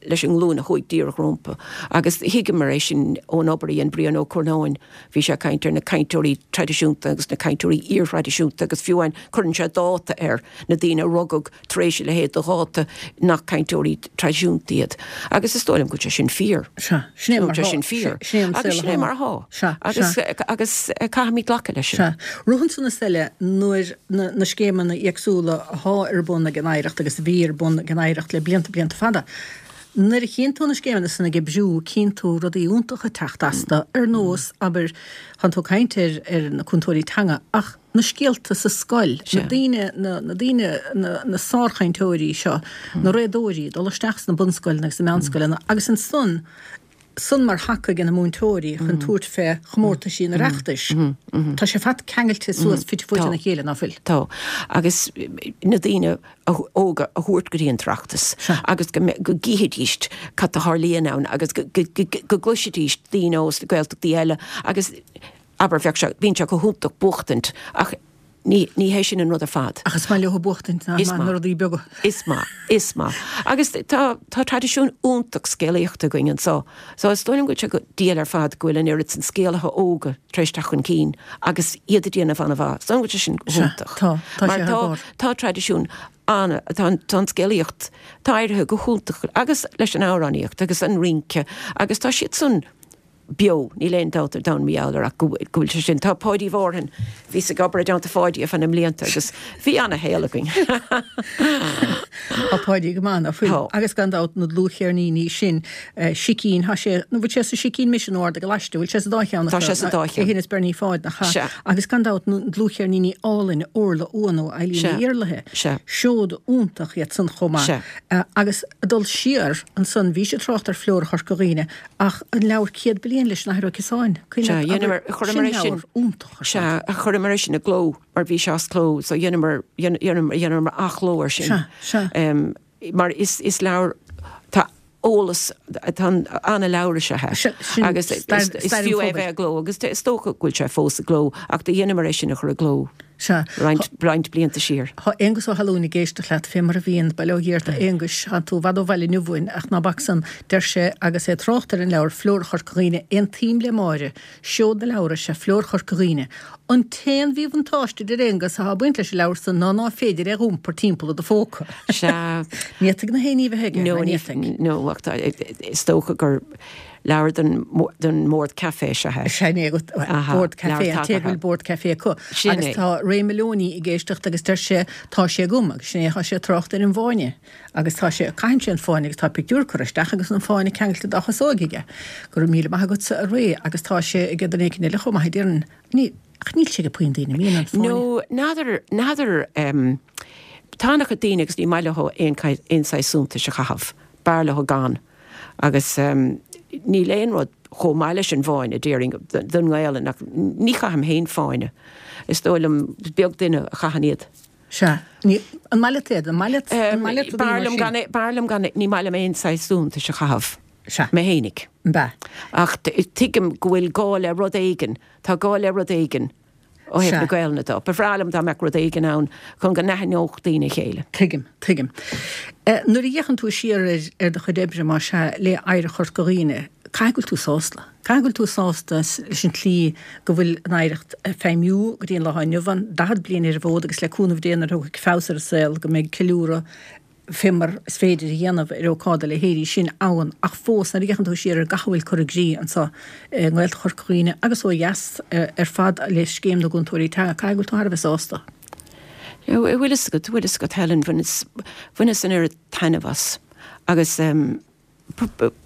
leis an nglúin a chuaigh díreach rompu. Agus thuigeamar é sin ón obair a dhein Brian Ó Curnáin, bhí sé ag caint ar na cainteoirí traidisiúnta agus na cainteoirí iarthraidisiúnta agus fiú amháin cuireann sé dáta air, na daoine a rugadh tar éis a leithéid de dháta nach cainteoirí traidisiúnta iad. Agus is dóigh liom go bhfuil sé sin fíor. Sea, sin é mar atá. Sin fíor. Sin é an saol atá. Sin é mar atá. Sea, sea. Agus caithfimid glacadh leis sin. Sea. Rud ansan is eile, nuair na scéimeanna éagsúla athá ar bun ag an Oidhreacht agus a bhí ar bun ag an Oidhreacht le blianta blianta fada. Nuair a chíonn tú na scéimeanna san ag oibriú, cíonn tú rudaí iontacha ag teacht astu, ar nós, abair, tánn tú ag caint ar, ar na cúntóirí teanga, ach na scéalta sa scoil, na daoine, na, na daoine, na, na sárchainteoirí seo, na réadóirí, dul isteach sna bunscoileanna agus na meánscoileanna agus ansan, san mar thaca ag na múinteoirí chun tabhairt fé chomórtaisí an Oireachtais. Tá sé ar fad ceangailte suas fite fuaite ina chéile, ná fuil? Tá. Agus na daoine óga a thabhairt go dtí an tOireachtas agus go gcífidís cad a tharlaíonn ann agus go gcloisfidís daoine ó sna Gaeltachtaí eile agus abair bheadh sé, bíonn sé go hiontach buachtaint ach Ní, ní hé sin an rud ar fad. Ach is maith leo buachtaint, nach maith, na rudaí beaga. Is maith, is maith. Agus tá, tá traidisiún iontach scéalaíochta againn anso. So is dóigh liom go bhfuil sé go diail ar fad go bhfuil an oiread san scéalaithe óga tar éis teacht chun cinn agus iad ag déanamh an-mhaith. Is dóigh liom go bhfuil sé sin go hiontach. Tá, tá sé thar barr. Tá traidisiún an, tá an, tá an scéalaíocht, tá éirithe go hiontach agus leis an amhránaíocht agus an rince agus tá siad san, beo, níl aon dabht ar domhan mar gheall air ach go bhfuil sé sin. Tá Páidí Mhárthain, bhíos ag obair i dteannta Pháidí ar feadh na mblianta agus bhí ana-shaol againn. Tá Páidí go maith, ná fuil? Tá. Agus gan dabht na dlúthcheirníní sin, Sicín, tá sé, nó bhfuil sé sa Sicín Mise nó Ard an Choláiste, bhfuil sé sa dá cheann acu? Tá sé sa dá cheann. É féin is Bernie Pháid, nach ea? Sea. Agus gan dabht na dlúthcheirníní álainn Orla Uan ó Eilín Sea. Ní Iarlaithe. Sea. Seod iontach iad san chomh maith. Sea. Agus ag dul siar ansan, bhís ag trácht ar Flóra Chorca Dhuibhne, Ach an leabhar 100 Bliain leis an Athair Ó Ciosáin, cuimhin leat, abair, sin leabhar iontach ar fad. Sea, chuireamar é sin i gcló mar bhí sé as cló so dheineamar, dheineamar athchló air sin. Sea, sea. Mar is, is leabhar, tá eolas, tá ana-leabhar is ea é. Sea, sin Agus is, stair, is stair an fiú é phobail. bheith i gcló agus is dócha go bhfuil sé fós i gcló ach do dheineamar é sin a chur i gcló. Sea. Roinnt, roinnt blianta siar. Tá Aonghus Ó hAlmhain ag éisteacht leat, fé mar a bhíonn, bail ó Dhia ort a Aonghuis, tánn tú i bhfad ó bhaile inniu uainn, ach ná bac san, deir sé, agus é ag trácht ar an leabhar Flóra Chorca Dhuibhne, Aontaím le Máire, seod na leabhar is ea Flóra Chorca Dhuibhne. An t-aon mhíbhuntáiste, a deir Aonghus, atá ag baint leis an leabhar san ná ná féidir é dh'iompar timpeall i do phóca. Sea. Ní fhéadfaidh na héinní bheith aige, No, ná ní, ní fhéadfaidh. no, ach tá, is dócha gur Leabhar don mbord caife is ea é. Sin é agat, bord caife, an té go bhfuil bord caife acu. Sin é. Agus tá Ray Moloney ag éisteacht agus deir sé, tá sé agam, agus sin é, tá sé ag trácht ar an bhfáinne. Agus tá sé, caitheann sé an fáinne agus tá pictiúr curtha isteach agus an fáinne ceangailte dá chasóig aige. Go raibh míle maith agatsa a Ray agus tá sé ag duine éicint eile chomh maith a deireann. Ní, ach níl sé ag puinn daoine, an mbíonn an fáinne. No, n'fheadar, n'fheadar, tá an-chuid daoine agus ní maith leo aon, aon saghas suntais a chaitheamh, b'fhearr leo gan. Agus níl aon rud chomh maith leis an bhfáinne, déarfainn, don nGaelainn, ach ní chaithim féin fáinne. Is dóigh liom, is beag duine a chaitheann iad. Sea. Ní, an maith leat iad? An maith leat, an maith leat rudaí mar sin? B'fhearr liom gan, b'fhearr liom gan, ní maith liom aon saghas suntais a chaitheamh. Sea. Mé fhéinig. An b'ea? Ach tuigim go bhfuil gá le rud éigin, tá gá le rud éigin. Ó thaobh na Gaelainne de, ba bhreá liom dá mbeadh rud éigin ann chun go n-aithneodh daoine a chéile. Tuigim, tuigim. Nuair a fhéachann tú siar ar ar do chuid oibre, más ea, le Oidhreacht Chorca Dhuibhne, caithfidh go bhfuil tú sásta. Caithfidh go bhfuil tú sásta leis an tslí go bhfuil an oidhreacht ag feidhmiú go dtí an lá inniu ann, 40 bliain ar an bhfód agus le cúnamh Dé nuair a thiocfaidh feabhas ar an saol go mbeidh ceiliúradh fé mar is féidir a dhéanamh ar ócáid dá leithéidí sin ann ach fós nuair a fhéachann tú siar ar gach a bhfuil curtha i gcrích anseo i nGaeltacht Chorca Dhuibhne agus ó dheas ar fad le Scéim na gCúntóirí Teanga, caithfidh go bhfuil tú thar a bheith sásta. Bhfuil fhios agat, bhfuil fhios agat Helen, bhaineas, bhaineas an oiread taitneamh as agus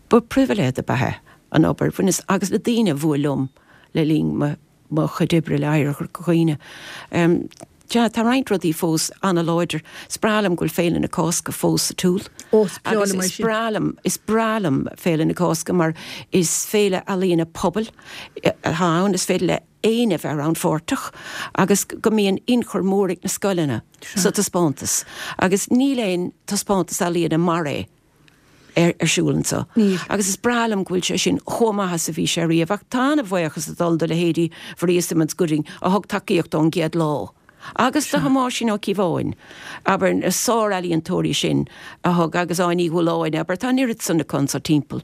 ba pribhléid ab ea é an obair, bhaineas, agus na daoine a bhuail liom le linn mo, mo chuid oibre le Oidhreacht Chorca Dhuibhne. Sea, tá roinnt rudaí fós an-láidir. Is breá liom go bhfuil Féile na Cásca fós sa tsiúl. Ó, is breá Agus liom é is sin. breá liom, is breá liom Féile na Cásca mar is féile ealaíona pobail atá ann, is féidir le éinne bheith rannpháirteach agus go mbíonn ionchur mór ag na scoileanna sa taispeántas. Agus níl aon taispeántas ealaíona mar é. ar siúl anseo. Níl. Agus is breá liom go bhfuil sé sin chomh maith is a bhí sé riamh. Ach tá an-bhuíochas ag dul do leithéidí Mharia Simmons Gooding a thug tacaíocht ón gcéad lá. Agus do Thomáisín Ó Cíobháin, abair, na sár-ealaíontóirí sin a thug, agus Áine Ní Dhúláin, abair, tá an oiread san acu anseo timpeall.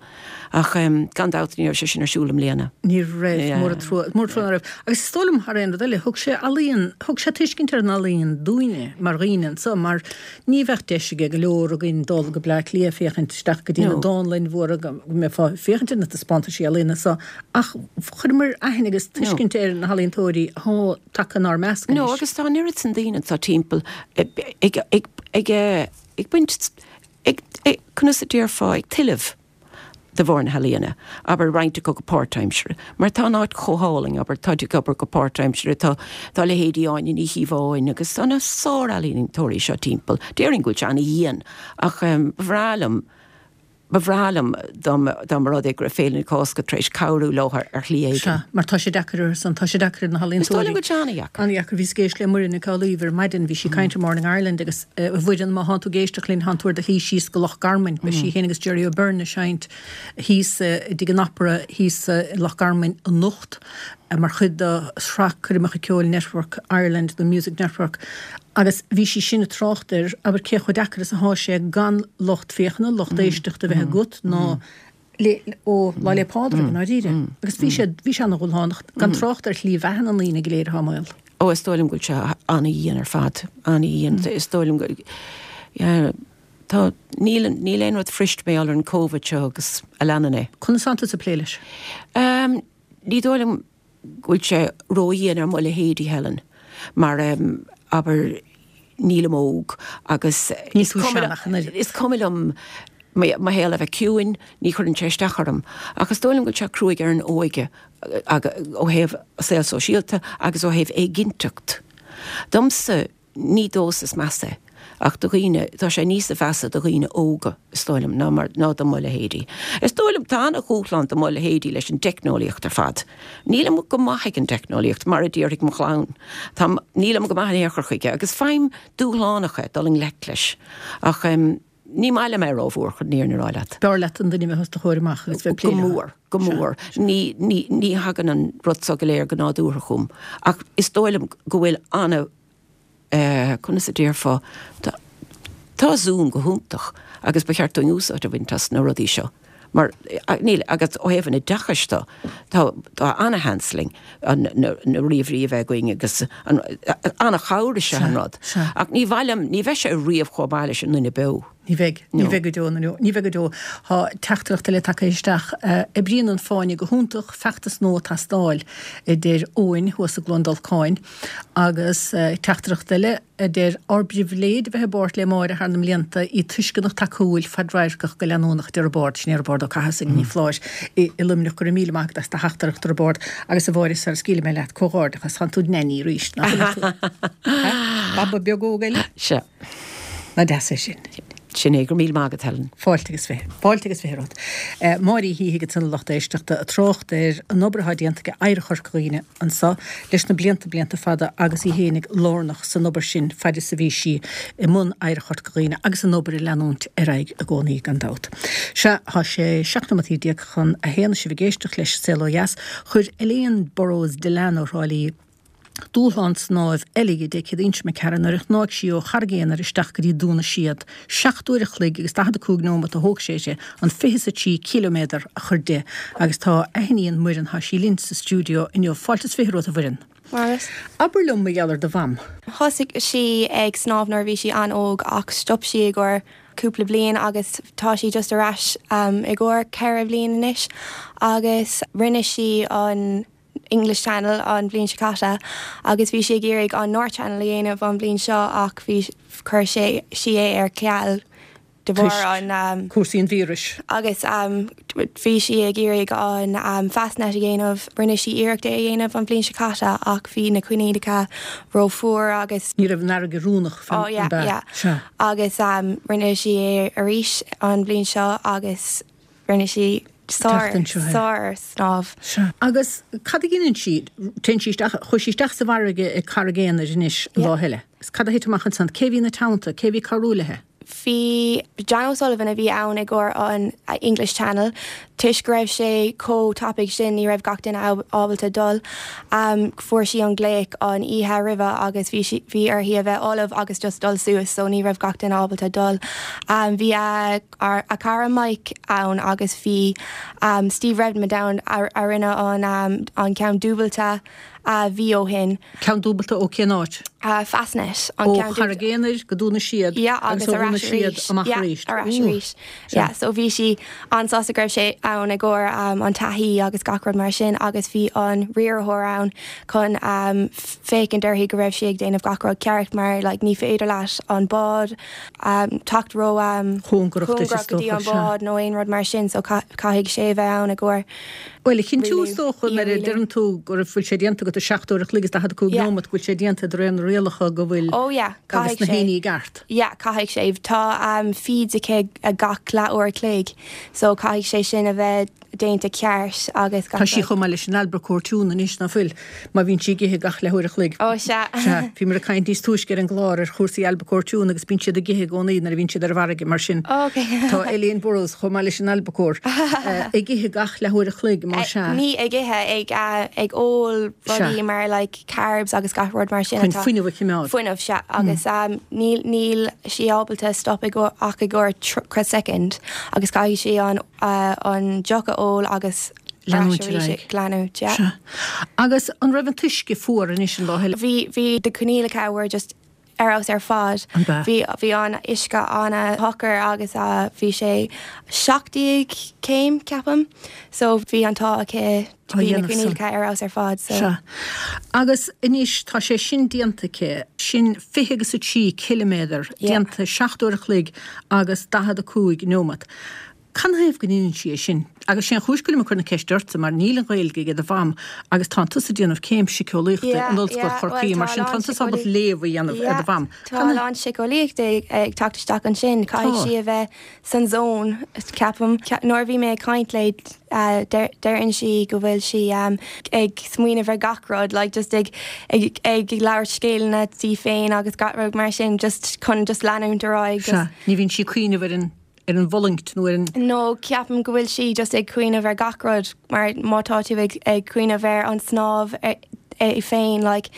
Ach gan dabht ní raibh sé sin ar siúl i mbliana. Ní raibh, mór an trua, mór an trua ná raibh. Agus is dóigh liom, thar aon rud eile, thug sé ealaíon, thug sé tuiscint ar an ealaíon dúinne mar dhaoine anseo, mar Ní bheadh deis ag go leor againn dul go Bleá Cliath féachaint isteach go dtí na dánlann mhóra go mbeifeá ag féachaint ar na taispeántaisí ealaíona so ach chuireamar aithne agus tuiscint ar na healaíontóirí athá tagtha inár measc No anois. agus tá an oiread san daoine anseo timpeall ag ag ag ag baint. Ag, conas a déarfá, ag tuilleamh de bharr na healaíona, abair, roinnt acu go páirtaimseartha, mar tá an áit chomh hálainn, abair, táid ag obair go páirtaimseartha, tá, tá leithéidí Áine Ní Chíobháin agus tá na sár-ealaíontóirí seo timpeall. Déarfainn go bhfuil sé ana-dhian ach ba bhreá liom, Ba bhreá liom dá mba rud é go raibh Féile na Cásca tar éis cabhrú leo ar shlí éigin. Sea, mar tá sé deacair orthu san, tá sé deacair ar na healaíontóirí. Is dóigh liom go bhfuil sé an-dheacair. An-dheacair. Bhíos ag éisteacht le Muireann Nic Amhlaoibh ar maidin, bhí sí ag caint ar Morning Ireland agus, a Mhuireann, má thánn tú ag éisteacht linn, thánn tú ar do shlí síos go Loch Garman. Beidh sí féin agus Gerry O'Beirne ag seinnt thíos i dTigh an Opera thíos i Loch Garman anocht mar chuid de shraith coirmeacha ceoil Network Ireland, the Music Network. Agus bhí sí sin ag trácht ar, abair, cé chomh deacair is athá sé gan lucht féachana, lucht éisteachta a bheith agat ná le, ó Lá 'le Pádraig i ndáiríre. Agus bhí sé, bhí sé ana-dhúshlánach, gan trácht ar shlí bheatha na ndaoine go léir athá i mbaol. Ó, is dóigh liom go bhfuil sé ana-dhian ar fad, ana-dhian. Is dóigh liom go, yeah, tá, níl, níl aon rud fuirist mar gheall ar an Covid seo agus a leanann é. Conas atánn tusa ag plé leis? Ní dóigh liom go bhfuil sé ródhian ar mo leithéidí, Helen, mar, abair, nílim óg agus is cuma liom mo shaol a bheith ciúin, ní chuireann sé isteach orm. Ach is dóigh liom go bhfuil sé cruaidh ar an óige ó thaobh saol sóisialta agus ó thaobh éiginnteacht. Domsa, Ní domhsa is measa é, ach do dhaoine, tá sé níosa mheasa do dhaoine óga, is dóigh liom, ná mar, ná do mo leithéidí. Is dóigh liom, tá ana-dhúshlán do mo leithéidí leis an dteicneolaíocht ar fad. Nílim go maith ag an dteicneolaíocht, mar a déarfaidh mo chlann. Tá, nílim go maith in aon chor chuige, agus faighim dúshlánach é dul i ngleic leis. Ach em, ní maith liom é rómhór, chun an fhírinne a rá leat. B'fhearr leat an duine a bheith os do chomhair amach agus bheith ag plé leo. Go mór, go mór. Ní, ní, ní thagann an rud so go léir go nádúrtha chugam. Ach is dóigh liom go bhfuil ana, eh, conas a déarfá, tá, tá Zoom go hiontach agus ba cheart dúinn úsáid a bhaint as na rudaí seo. Mar, níl, agus ó thaobh an oideachais de, tá, tá ana-sheans linn an, na, na ríomhairí a bheith againn agus an, ana-chabhair is ea an rud. Ach ní mhaith liom, ní bheidh sé riamh chomh maith leis an nduine beo. Ní bheidh, ní bheidh go deo, ní bheidh go deo. Tá teachtaireacht eile tagtha isteach. Oibríonn an Fáinne go hiontach, feachtas nua ag teastáil, a deir Eoin thuas i gCluain Dolcáin. Agus teachtaireacht eile a deir, Ár bpribhléid a bheith i bpáirt le Máire thar na mblianta, í tuisceanach tacúil, fadradharcach go leanúnach, a deir Roibeárd. Sin é Roibeárd Ó Cathasaigh, Ní Phláis i Luimneach. Go raibh míle maith agat as do theachtaireacht, a Roibeárd. Agus a Mháire, sara scaoilfidh mé leat, comhghairdeachas, tánn tú id neainí arís, nach bhfuil tú? Baba beag óg eile? Sea. Nach deas é sin? Sin é, go raibh míle maith agat, Helen. Fáilte agus fiche. Fáilte agus fiche romhat. Máire Uí Shíthigh ansan a lucht éisteachta ag trácht ar an obair atá déanta ag Oidhreacht Chorca Dhuibhne anso leis na blianta, blianta fada agus í fhéinig lárnach san obair sin faid is a bhí sí i mbun Oidhreacht Chorca Dhuibhne agus an obair ag leanúint ar aghaidh i gcónaí gan dabht. Sea, tá sé 17 nóimeataí chun a haon is sibh ag éisteacht leis Saol Ó Dheas. Chuir Elaine Burrows Dillane ó Thrá Lí, Dúshlán snáimh eile dhi Dé Céadaoin seo imigh tharainn nuair a shnáigh sí ó Charraig Aonair isteach go dtí Dún na Séad. 7 uair a chloig agus 45 nóimeat a thóg sé uirthi an 23 ciliméadar a chur di agus tá a hiníon Muireann, tá sí linn sa stiúideo inniu. Fáilte is fiche romhat a Mhuireann. Maith. Abair liom mar gheall ar do mham. Thosaigh sí ag snámh nuair a bhí sí an-óg ach stop sí i gcomhair cúpla bliain agus tá sí just ar ais i gcomhair ceithre bhliain anois agus rinne sí an English Channel an bhliain seo caite agus bhí sí ag iarraidh an North Channel a dhéanamh an bhliain seo ach bhí chuir sé sí é ar ceal de bharr an cúrsaí an víris. Agus bhí sí ag iarraidh an Fastnet a dhéanamh, rinne sí iarracht é a dhéanamh an bhliain seo caite ach bhí na coinníollacha rófhuar agus. Ní raibh an fharraige oiriúnach Oh yeah yeah Sea. Agus rinne sí é arís an bhliain seo agus Rinne sí sár, sár snámh. Sea. Agus cad a dheineann sí? Téann sí isteach, chuaigh sí isteach sa bhfarraige ag Carraig Aonair anois an lá eile. Agus cad a thit amach ansan? Cé a bhí ina teannta? Cé a bhí ag cabhrú léithe? Bhí John O'Sullivan a bhí ann i gcomhair an English Channel. Toisc go raibh sé chomh tapaidh sin ní raibh gach duine ábalta dul. Fuair sí an glaoch an oíche roimhe agus bhí sí, bhí uirthi a bheith ullamh agus just dul suas so ní raibh gach duine ábalta dul. Bhí a. a cara Mike ann agus bhí Steve Redmond ann a rinne an ceann dúbailte mhí ó shin. Ceann dúbailte ó cén áit? Fastnet. Ó Charraig Aonair go Dún na Séad agus ó Dhún na Séad amach arís. Yeah, ar ais arís. Yeah, so bhí sí an-sásta go raibh sé. ann i gcomhair an taithí agus gach rud mar sin agus bhí an riarthóir ann chun féachaint uirthi go raibh sí ag déanamh gach rud ceart mar like ní féidir leat an bád teacht ró chóngarach duit is go dtí dócha, an sea. bád nó aon rud mar sin so caithfidh sé a bheith ann i gcomhair Bhuel, a chinntiú is rialú, dócha í a nuair a rialú. deireann tú go raibh bhfuil sé déanta agat i 7 uair a chloig is 45 Yeah. nóimeat go bhfuil sé déanta de réir na rialacha go bhfuil Oh yeah, agus caithfidh na sé. héinní i gceart. Yeah, caithfidh sé. Tá feeds aici gach leath uair a chloig so caithfidh sé sin a bheith déanta ceart agus Tá gach sí rud. chomh maith leis an albacore tuna anois, ná fuil? Má bhíonn sí ag ithe gach leathuair a chloig. Ó, sea. Sea. Bhíomar ag caint níos túisce ar an gclár ar chúrsaí albacore tuna agus bíonn siad ag ithe i gcónaí nuair a bhíonn siad ar an bhfarraige mar sin Ó, ok. tá Elaine Burrows chomh maith leis an albacore ag ithe gach leathuair a chloig, má sea. Ní ag ithe, ag ag ól Sea. rudaí mar like carbs agus gach rud mar sin Chun atá. fuinneamh a choimeád. Fuinneamh, sea. Agus níl níl sí ábalta stop ag ach i gcomhair 30 soicind agus caithfidh sí an an deoch a ól agus Leanúint ar aghaidh. Leanúint, yeah. Sea. Agus an raibh an t-uisce fuar anois an lá eile? Bhí, bhí na coinníollacha were just ar fheabhas ar fad. An b'ea? Bhí, bhí an uisce an-shocair agus bhí sé 17 céim, ceapaim. So bhí an t-ádh aici, Á bhí na dhéanamh san. coinníollacha ar fheabhas ar fad, so. Sea. Agus anois tá sé sin déanta aici, sin 20 agus 3 ciliméadar Yeah. déanta 7 uair a chloig agus 45 neomat. Canathaobh go ndeineann sí é sin? Agus sé an chúis go bhfuilim ag cur na ceiste ortsa mar níl an Ghaeilge ag do mham agus tánn tusa ag déanamh céim siceolaíochta Yeah, in Ollscoil yeah, Chorcaí well mar tá a sin lán tánn tusa ábalta síceolaí- léamh a dhéanamh ar Yeah, do mham. tá a lán síceolaíochta ag teacht isteach ansin. Caithfidh Tá. sí a bheith san zone, ceapaim. Nuair a bhí mé ag caint léi, deireann sí go bhfuil sí ag smaoineamh ar gach rud, like just ag ag ag labhairt scéalanna di féin agus gach rud mar sin, just chun just leanúint ar aghaidh. Sea, ní bhíonn sí ag cuimhneamh ar an ar an bhfulaingt nó ar an. No, ceapaim go bhfuil sí just ag cuimhneamh ar gach rud mar má tá tú ag ag cuimhneamh ar an snámh é féin like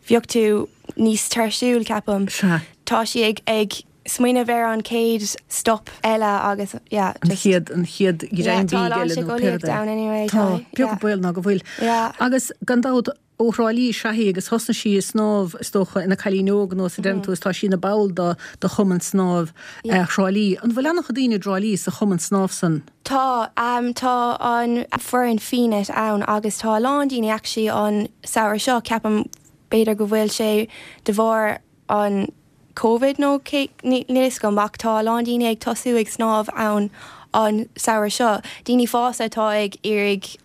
bheadh tú níos tuirsiúil ceapaim. Sea. Tá sí ag ag smaoineamh ar an chéad stop eile agus yeah An just. chéad an chéad Yeah, ghreim tá a bídh lán eile nó pé rud síceolaíocht é. ann anyway, Tá, tá, beag yeah. baol ná go bhfuil. Yeah. Agus gan dabht Ó Thrá Lí is ea í agus thosnaigh sí ag snámh, is dócha, ina cailín óg nós a deireann tú, is tá sí ina ball do do Chumann Snámh Thrá Lí. An bhfuil an-chuid daoine i dTrá Lí sa Chumann Snámh san? Tá, tá an foireann Fiadh ann agus tá a lán daoine actually an samhradh seo, ceapaim b'fhéidir go bhfuil sé de bharr an Covid nó cé, níl fhios agam ach tá a lán daoine ag tosú ag snámh ann an samhradh seo, daoine fásta atá ag iarraidh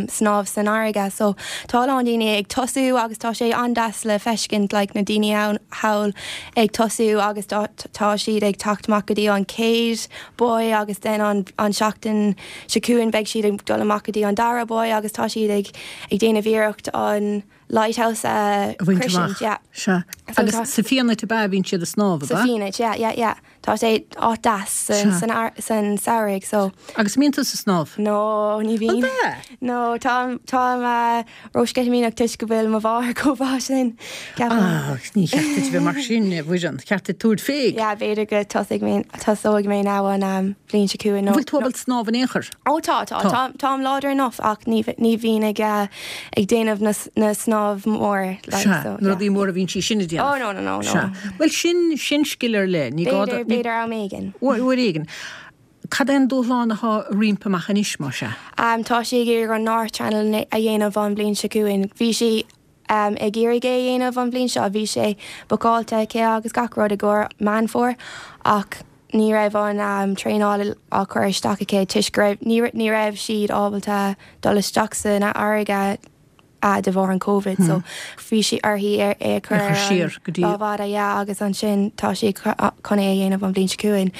snámh san fharraige so tá a lán daoine ag tosú agus tá sé an-deas le feiscint like na daoine ann thall ag tosú agus tá siad ag teacht amach go dtí an chéad buoy agus then an an seachtain seo chugainn beidh siad ag dul amach go dtí an dara buoy agus tá siad ag ag déanamh iarracht an lighthouse a A bhaint shroisint, amach. yeah. Sea. So Agus tá- sa Fianait ab ea a bhíonn siad ag snámh, ab Sa ea? Fianait, yeah, yeah, yeah. Tá sé áit deas Sea. san, san, ar- san samhradh, so. Agus mbíonn tusa ag snámh? No, ní bhíonn. An ea? No, táim, táim uh, rósceitimíneach toisc go bhfuil mo mháthair chomh maith sin, ceapaim. Ah, ní cheart duit a bheith mar sin, a Mhuireann. Cheart duit tabhairt fé. Yeah, b'fhéidir go tosóidh mé, tosóidh mé now an um, bhliain seo chugainn. An bhfuil tú ábalta snámh in aon chor? Ó tá, tá, Tá. táim láidir enough ach ní ní bhíonn ag ag déanamh na na snámh mór like Sea, so na yeah. rudaí móra a bhíonn sí sin ag déanamh. Oh no no no no. Sea. Bhuel sin, sin scil ar leith, ní gá do, B'fhéidir, b'fhéidir am éigin. Uair, uair éigin. Cad é an dúshlán atá roimpi amach anois, más ea? Tá sí ag iarraidh an North Channel a dhéanamh an bhliain seo chugainn. Bhí sí ag iarraidh é a dhéanamh an bhliain seo, bhí sé bookáilte aici agus gach rud i gcomhair Meán Fómhair ach ní raibh an traenáil á cur isteach aici toisc go raibh, ní raibh siad ábalta dul isteach san fharraige de bharr an Covid so bhí sí uirthi é a chur ar siar go dtí. lá fada yeah agus ansin tá sí chun é a dhéanamh an bhliain seo chugainn.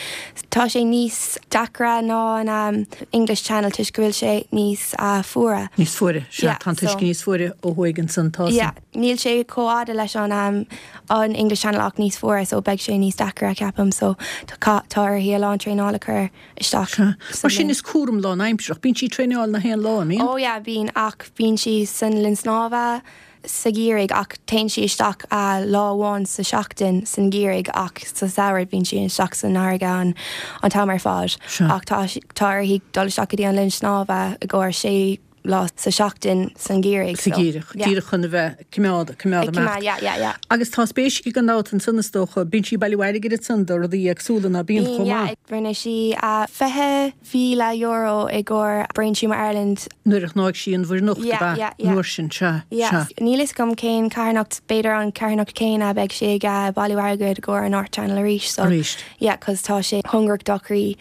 Tá sé níos deacra ná an English Channel toisc go bhfuil sé níos fuaire. Níos fuaire, sea, Yeah, tá an t-uisce so. níos fuaire ó thuaidh ansan, tá san. Yeah, níl sé chomh fhada leis an an English Channel ach níos fuaire so beidh sé níos deacra ceapaim so tá uirthi a lán traenála a chur isteach Sea, sa mar sin bhliain. is cúram lánaimsearach, bíonn sí ag traenáil na haon lá, an mbíonn? Oh yeah, bíonn ach bíonn sí san linn snámha sa gheimhreadh ach téann sí isteach lá amháin sa seachtain san gheimhreadh ach sa samhradh bíonn sí isteach san fharraige an an t-am ar fad Sea. ach tá tá uirthi dul isteach go dtí an linn snámha i gcomhair sé. lá sa seachtain san gheimhreadh. Sa gheimhreadh, díreach chun a bheith ag coimeád, coimeád amach. Yeah, yeah, yeah. Agus tá spéis aici gan dabht ansan is dócha, bíonn sí ag bailiú airgid ansan do rudaí éagsúla ná bíonn chomh maith. Yeah, rinne sí €20,000 i gcomhair Brain Tumour Ireland. Nuair a shnáigh sí an Mhuir nIocht, ab ea? Yeah, yeah, yeah. An uair sin, sea, Yeah. sea. Níl fhios agam cén carthanacht, b'fhéidir an carthanacht céanna, beidh sí ag bailiú airgid i gcomhair an Art Channel arís, so. Arís. Yeah, 'cause tá sé cóngarach dá croí.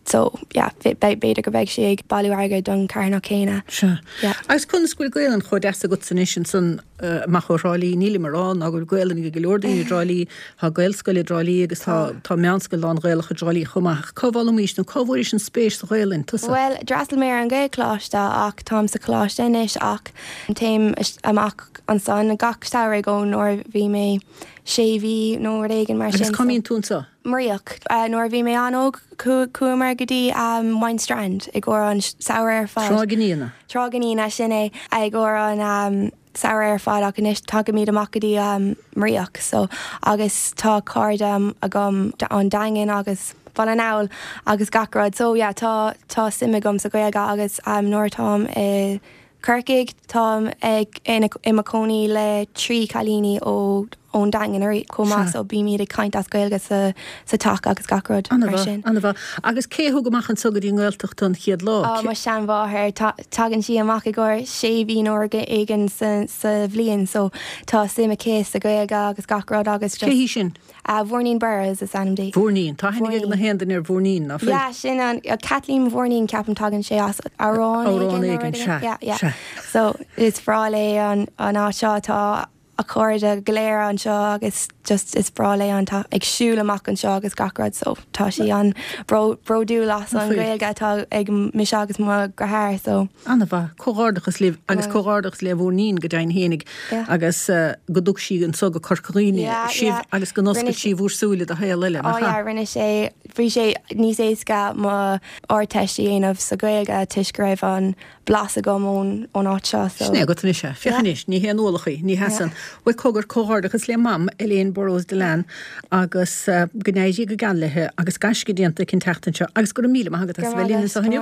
So, yeah, b'fhéidir go mbeidh sí ag bailiú airgid don carthanacht céanna. Sea. Yeah. Agus conas go bhfuil Gaelainn chomh deas agatsa anois ansan amach ó Thrá Lí? Nílim ag rá ná go bhfuil Gaelainn ag go leor daoine i dTrá Lí, tá Gaelscoil i dTrá Lí agus tá tá meánscoil lán-Ghaelach i dTrá Lí chomh maith. Ach cá bhfoghlaimís nó cá bhfuairis an spéis sa Ghaelainn, tusa? Bhuel, d'fhreastail mé ar an Ghaelcholáiste ach táim sa choláiste anois ach téim amach ansan gach samhradh ó nuair a bhí mé sé mhí nó rud éigin mar sin. Agus cá mbíonn tú anso? Mraoch. Nuair a bhí mé an-óg chuamar go dtí Moyne Strand i gcomhair an samhradh ar fad. Tráigh an Fhíona. Tráigh an Fhíona, sin é, i gcomhair an samhradh ar fad ach anois tagaimid amach go dtí Mraoch so agus tá cairde agam ón Daingean agus Baile na nGall agus gach rud so yeah tá tá suim agam sa Ghaeilge agus nuair atáim i Corcaigh, táim ag i mo cónaí le 3 cailíní ó ón Daingean chomh maith so bímid ag caint as Gaeilge sa sa teach agus gach rud mar sin. Ana-mhaith, ana-mhaith. Agus cé a thug amach anso go dtí an nGaeltacht tú an chéad lá? Á, mo sheanmháthair. Tagann sí amach i gcomhair sé mhí nó rud éigin sa sa bhliain so tá suim aici sa Ghaeilge agus gach rud agus just. Cé hí sin? Mhuirnín Burrows is ainm di. Mhuirnín. Tá aithne ag na haon duine ar Mhuirnín, ná fuil? Yeah, sin an, Kathleen Mhuirnín ceapaim tagann sé as amhrán éigin. Amhrán éigin, sea, Yeah, yeah. sea. So is breá léi an, an áit seo, tá a cairde go léir anseo agus just is breá léi an, tá ag siúl amach anseo agus gach rud so tá sí an bródúil as an Ghaeilge atá ag mise agus mo dheartháir so. Ana-mhaith. Comhghairdeachas libh agus comhghairdeachas le Mhuirnín go deimhin fhéinig agus go dtug sí anso go Corca Dhuibhne sibh agus go n-oscail sí bhúr súile do shaol eile, nach ea? Rinne sé, bhí sé níos éasca mo Ardteist a dhéanamh sa Ghaeilge toisc go raibh an blas agam ón ón áit seo so. Sin é agat anois é. Féach anois, ní haon ualach í, ní hea san. Bhuel, cogar, comhghairdeachas le Mam, Elaine Burrows Dillane agus go n-éirí go geal léi agus gaisce déanta aici an tseachtain seo agus go raibh míle maith agat as a bheith linn anseo inniu.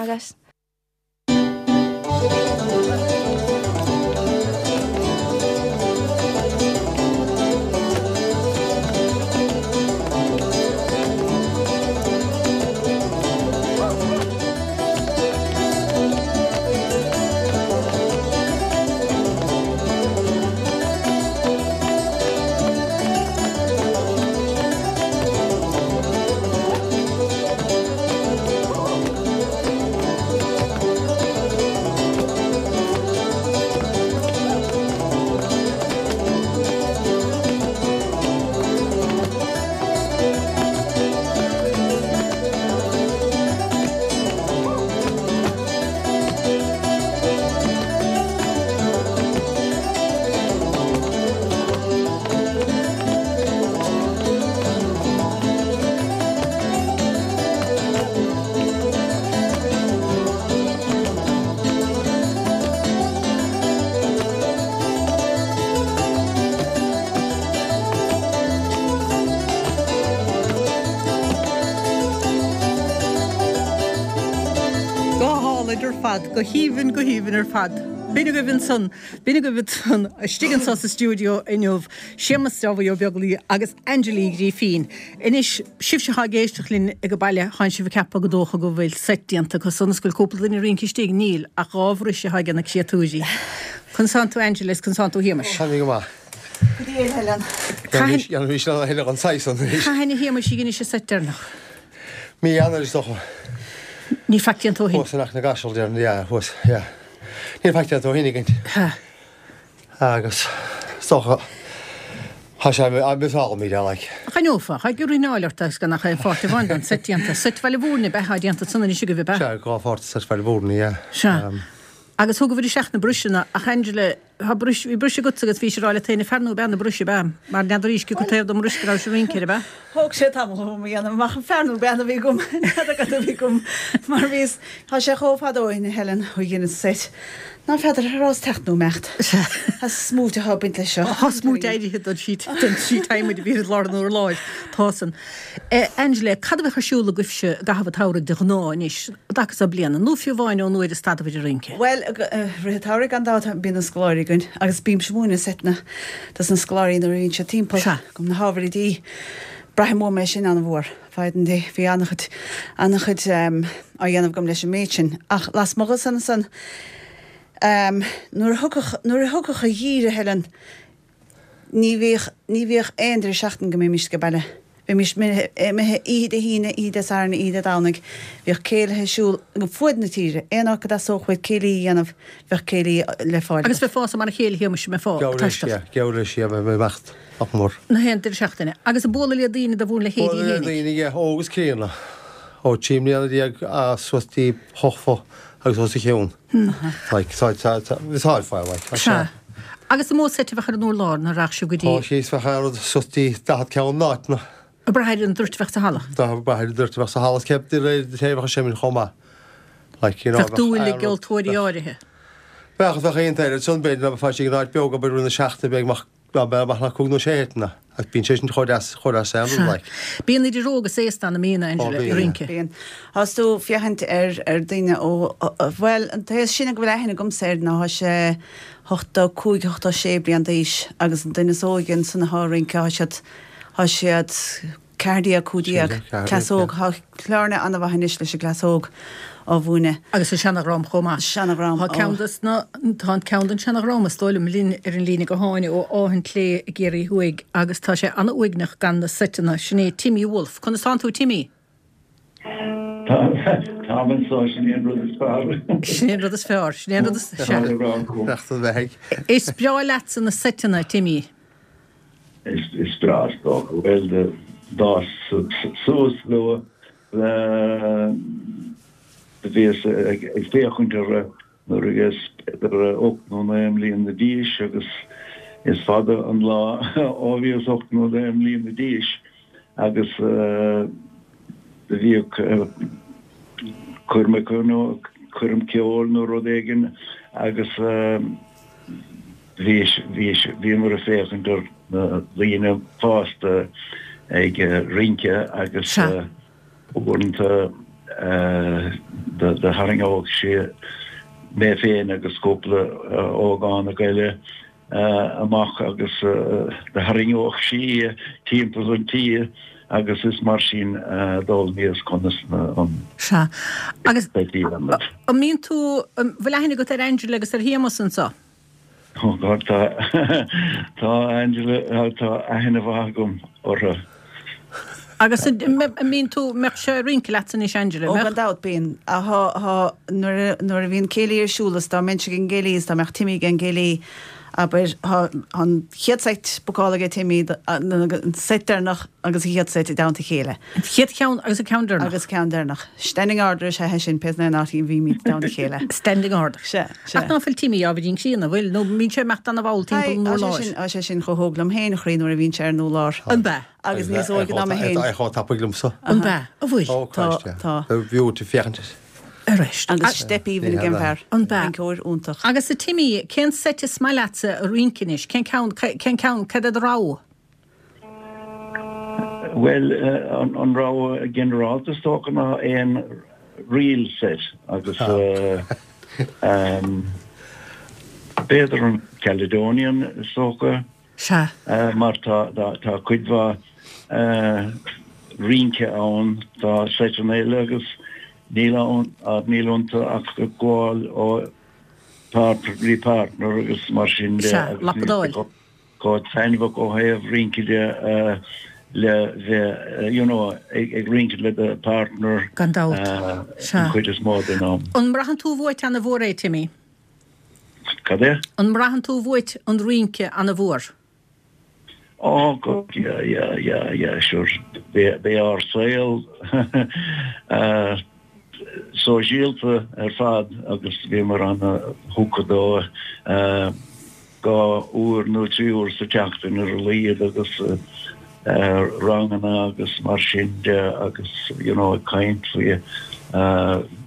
Go hálainn ar fad, go haoibhinn, go haoibhinn ar fad. B'in agaibh ansan, b'in agaibh ansan, istigh anso sa stiúideo inniu, Séamus Dáibhí Ó Beaglaoi agus Angela Uí Ghrífín. Anois, sibhse atá ag éisteacht linn ag an baile, tánn sibh ag ceapadh go dócha go bhfuil seit déanta acu san is go bhfuil cúpla duine ag rince istigh. Níl, ach 2 bhris atá ag na créatúirí. Conas tánn tú Angela is conas tánn tú a Shéamais? Táim go maith. Go diail, Helen. Cathain. Dhéanfaimís a thuilleadh an saghas san anois. Cathain a Shéamais a dheinis an seit deireanach? Mí Eanáir is dócha. Níl faic déanta ó shin. Thuas in Achadh na gCaiseal déarfainn, yeah, thuas, yeah. Níl faic déanta ó shin againn. Ha. Agus is dócha, tá sé miosálaimid é, like. Choinneofá, cha ag rinneáil ort agus gan ach aon pháirt amháin den seit déanta. Seit Bhaile Mhúirne ab ea atá déanta ansan anois agaibh, ab ea? Sea, 2 pháirt de seit Bhaile Mhúirne, yeah. Sea. Agus thugaibh isteach na bruiseanna, ach Angela, tá bruis, bhí bruis agatsa agus bhís ag rá leat féin an fear nó bean na bruise, ab ea? Mar n'fheadar cé acu taobh den mbruis go rabhais ag rince air, ab ea? Thóg sé tamall orm a dhéanamh amach an fear nó bean a bhí agam, n'fheadar cad a bhí agam, mar bhíos, tá sé chomh fada ó shin, a Helen, ó dhein an seit. Ná feadar an rabhas teacht nó imeacht. Tá smúit atá ag baint leis seo. Tá smúit éirithe den síot den síot adhmaid a bhí ar lár an urláir. Tá san. Angela, cad a bheadh ar siúl agaibhse i gcaitheamh an tsamhraidh de ghnáth anois, i dtaca so bliana, nó fiú amháin ón uair a stadabhair ag rince? Bhuel, rith an tsamhraidh gan dabht bíonn na scoláirí againn agus bímse ag múineadh seiteanna dos na scoláirí nuair a bhíonn siad timpeall go na hábhair oidí. Braithim uaim é sin an-mhór. Feidhm di. Bhí an-chuid, an-chuid á dhéanamh agam leis an méid sin. Ach lasmuigh de san ansan, nuair a thiocfadh, nuair a thiocfadh an geimhreadh, a Helen, ní bhíodh, ní bhíodh aon deireadh seachtaine go mbeimis age baile. Bheimis imithe oíche Dé hAoine, oíche Dé Sathairn, oíche Dé Domhnaigh. Bhíodh céilithe ar siúl fuaid na tíre. Aon áit go dteastódh uait céilí a dhéanamh, bheadh céilí le fáil Agus agat. bheifeása mar a chéile Shéamais, mbeifeá ag taisteal. Geall leis, yeah, bheith imeacht. Nach mór. Na haon deireadh seachtaine. Agus ag bualadh le daoine de bhur leithéidí Bualadh le fhéinig. daoine, yeah, óg is críonna. Ó 13 mbliana suas dtí hochtó agus os a chionn. Like, tá, tá, tá, tá ar fáil, like. Tá sé. Sea. Agus an mó seit a bheadh ar an urlár nuair a rachadh sibh go dtí. Tá síos, bheadh aon rud suas dtí 40 ceann in áiteanna. Ag brath ar an dtoirt a bheadh sa halla. Ag brath ar an dtoirt a bheadh sa halla, is cé de réir an té a bheadh ag seimint chomh maith. Like, you know, Bheadh dúil i gceoltóirí áirithe. Bheadh, bheadh aon t-eile ansan, b'fhéidir, ná beifeá istigh in áit beag, abair, rith na seachtaine, beidh amach Ná beidh amach ach cúig nó sé sheiteanna, ach bíonn sé sin chomh deas, chomh deas aon rud, like. Bíonn idir óg is aosta ann, an mbíonn, a Angela, Ó, ag rince? Bíonn. Thás tú féachaint ar, ar daoine ó, bhuel, an té is sine go bhfuil aithne agamsa air ná thá sé 85, 86 bliain d'aois agus an duine is óige ansan athá ag rince, thá siad, thá siad, 14, 15, cleas óg. Tá Clárna an-mhaith anois leis an gcleas óg á mhúineadh. Agus an seanadhream chomh maith. Seanadhream, Tá ceann des na, tá an ceann den seanadhream is dóigh liom linn ar an líne gutháin ó Áth an tSléibhe i gCiarraí Thuaidh agus tá sé an-uaigneach gan na seiteanna. Sin é Timmy Wolfe. Conas tánn tú Timmy? Táim anso, sin é an rud is fearr. Sin é an rud is fearr. Sin é an rud is, sea. Is breá leatsa na seiteanna, Timmy. Is breá is dócha. Bhuel, d'fhás suas luath, do bhíos ag féachaint orthu nuair a bhíos b'fhéidir ocht nó naoi mbliana d'aois agus is fada an lá ó bhíos ocht nó naoi mbliana d'aois agus do bhíodh coirmeacha nó coirm ceoil nó rud éigin agus Bhí, bhí, bhíomar ag féachaint ar na daoine fásta ag rince agus uaireanta do tharraingeodh sé mé féin agus cúpla ógánach eile amach agus do tharraingeodh sí timpeall an tí agus is mar sin a d'fhoghlaimíos conas an Sea. Agus an mbíonn tú, an bhfuil aithne agat ar Angela agus ar Shéamus anso? Oh God, tá, tá Angela, tá aithne mhaith agam orthu. Agus an mbíonn tú, mbeadh sé ag rince leatsa anois Angela, mbeadh? Ó gan dabht, bíonn. Thá, thá, nuair a, nuair a bhíonn céilí ar siúl is dá mbeinnse ag an gcéilí is dá mbeadh Timmy ag an gcéilí, Abair, tá an chéad seit bookáilte aige Timmy, an seit deireanach agus an chéad seit i dteannta a chéile. An chéad cheann agus an ceann deireanach. Agus ceann deireanach. Standing order is ea é sin, pé aon áit a bhímid i dteannta a chéile. Standing order. Sea, sea. Ach ná fuil Timmy ábhairín críonna, bhfuil? Nó mbíonn sé ag imeacht ana-mhall timpeall an urláir? Tá sé sin chomh hóg liom féin, a chroí, nuair a bhíonn sé ar an urlár. An b'ea? Agus níos óige ná mé féin. É chomh tapaidh liomsa. An b'ea? An bhfuil? Oh Christ, yeah. Tá, tá. Bhí tú féachaint air. Arís. Agus steip aoibhinn ag an bhfear. An b'ea? Rinceoir iontach. Agus a Timmy, cén seit is maith leatsa a rince anois? Cén ceann, cén ceann, cad é do rogha? Bhuel, an rogha ginearálta is dócha ná aon reel set agus b'fhéidir an Caledonian is dócha. Sea. Mar tá tá cuid mhaith rince ann, tá seiteanna eile agus níl ann, níl iontu ach gabháil ó partner go dtí partner agus mar sin de. Sea, lapadáil. Chomh taitneamhach ó thaobh rince de le bheith, you know, ag rince le do partner. Gan dabht. Sea. An chuid is mó den am. An mbraitheann tú uait ana-mhór é, Timmy? Cad é? An mbraitheann tú uait an rince ana-mhór? Oh God, yeah, yeah, yeah, yeah, sure. B'é ár saol sóisialta ar fad agus bhíomar ana-thugtha dó dhá uair nó trí uair sa tseachtain ar a laghad agus ranganna agus mar sin de agus, you know, ag caint faoi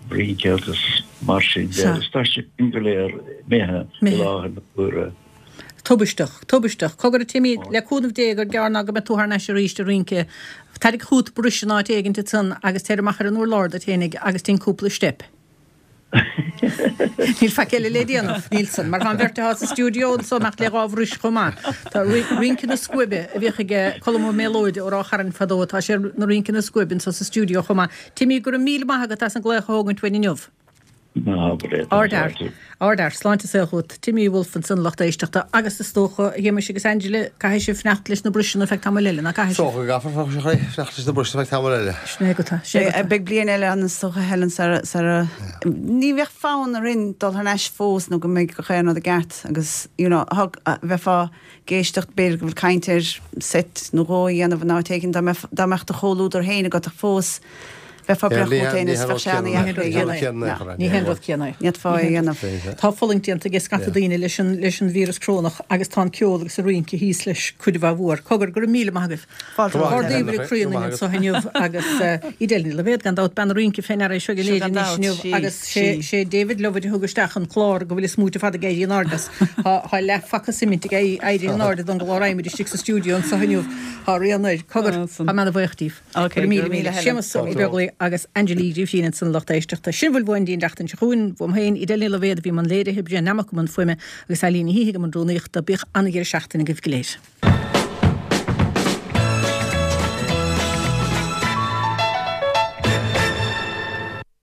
rince agus. mar sin de agus tá siad sin go léir imithe i láthair na huaire. Tubaisteach. Tubaisteach. Cogar a Timmy, le cúnamh Dé gur gearr ná go mbeidh tú thar n-ais arís ag rince. Tarraig chút bris in áit éigint ansan agus téir amach ar an urlár duit fhéinig agus dein cúpla steip. Níl faic eile le déanamh, níl san, mar tá an bheirt atá sa stiúideo anso imeacht le dhá bhris chomh maith. Tá rince na scuaibe a bhíodh ag Colm Ó Méalóid ó Ráth Chairn fadó, tá sé ina rince na scuaibe anso sa stiúideo chomh maith. Timmy, go raibh míle maith agat as an glaoch a thógaint uainn inniu. Ná habair é, tá Ardfhear. fáilte. Ardfhear. Sláinte is saol chugat. Timmy Woulfe ansan, lucht éisteachta. Agus is dócha, a Shéamais agus Angela, caithfidh sibh fanacht leis na briseanna feadh tamaill eile, ná caithfidh Is sibh? dócha go gcaithfear fanacht leis na briseanna feadh tamaill eile. Sin é agat. Sin é agat. Beidh bliain eile ann is dócha, Helen, sara, sara, ní bheadh fonn orainn dul thar n-ais fós nó go mbeidh gach aon rud i gceart agus, you know, thug, bheifeá ag éisteacht, b'fhéidir go bhfuil caint ar seit nó dhó a dhéanamh in áit éigin dá mbeadh, dá mbeadh do chomhluadar féin agat ach fós, Bheifeá breá chugat féin is bheadh sé ana-dheacair é a dhéanamh. Ní haon rud céanna é. Ní fhéadfá é a dhéanamh. Tá fulaingt déanta ag scata daoine leis an leis an víreas corónach agus tá an ceol agus an rince thíos leis cuid mhaith mhór. Cogar, go raibh míle maith agaibh. Fáilte romhat. Ard-aoibh ag croí ionainn anseo inniu agus Edel Ní Loibhéad gan dabht, bean an rince fé ndeara é seo in Éirinn anois inniu agus sé sé David Lovett a thug isteach an clár go bhfuil an smúit ar fad ag éirí in airde as. Tá tá leathphaca suimint ag éirí in airde don gclár adhmaid istigh sa stiúideo anseo inniu. Tá rian air. Cogar, tá mé ana-bhuíoch díobh. Ok, Go raibh míle míle. Séamus Ó Beaglaoi agus Angela Uí Ghribhchín ansan lucht éisteachta. Sin a bhfuil uainn don tseachtain seo chugainn. Uaim féin, Edel Ní Loibhéad a bhí i mbun léirithe, Brian Nammock i mbun fuaime agus Eileen Ní hÍthigh i mbun rúnaíochta. Bíodh an-dheireadh seachtaine agaibh go léir.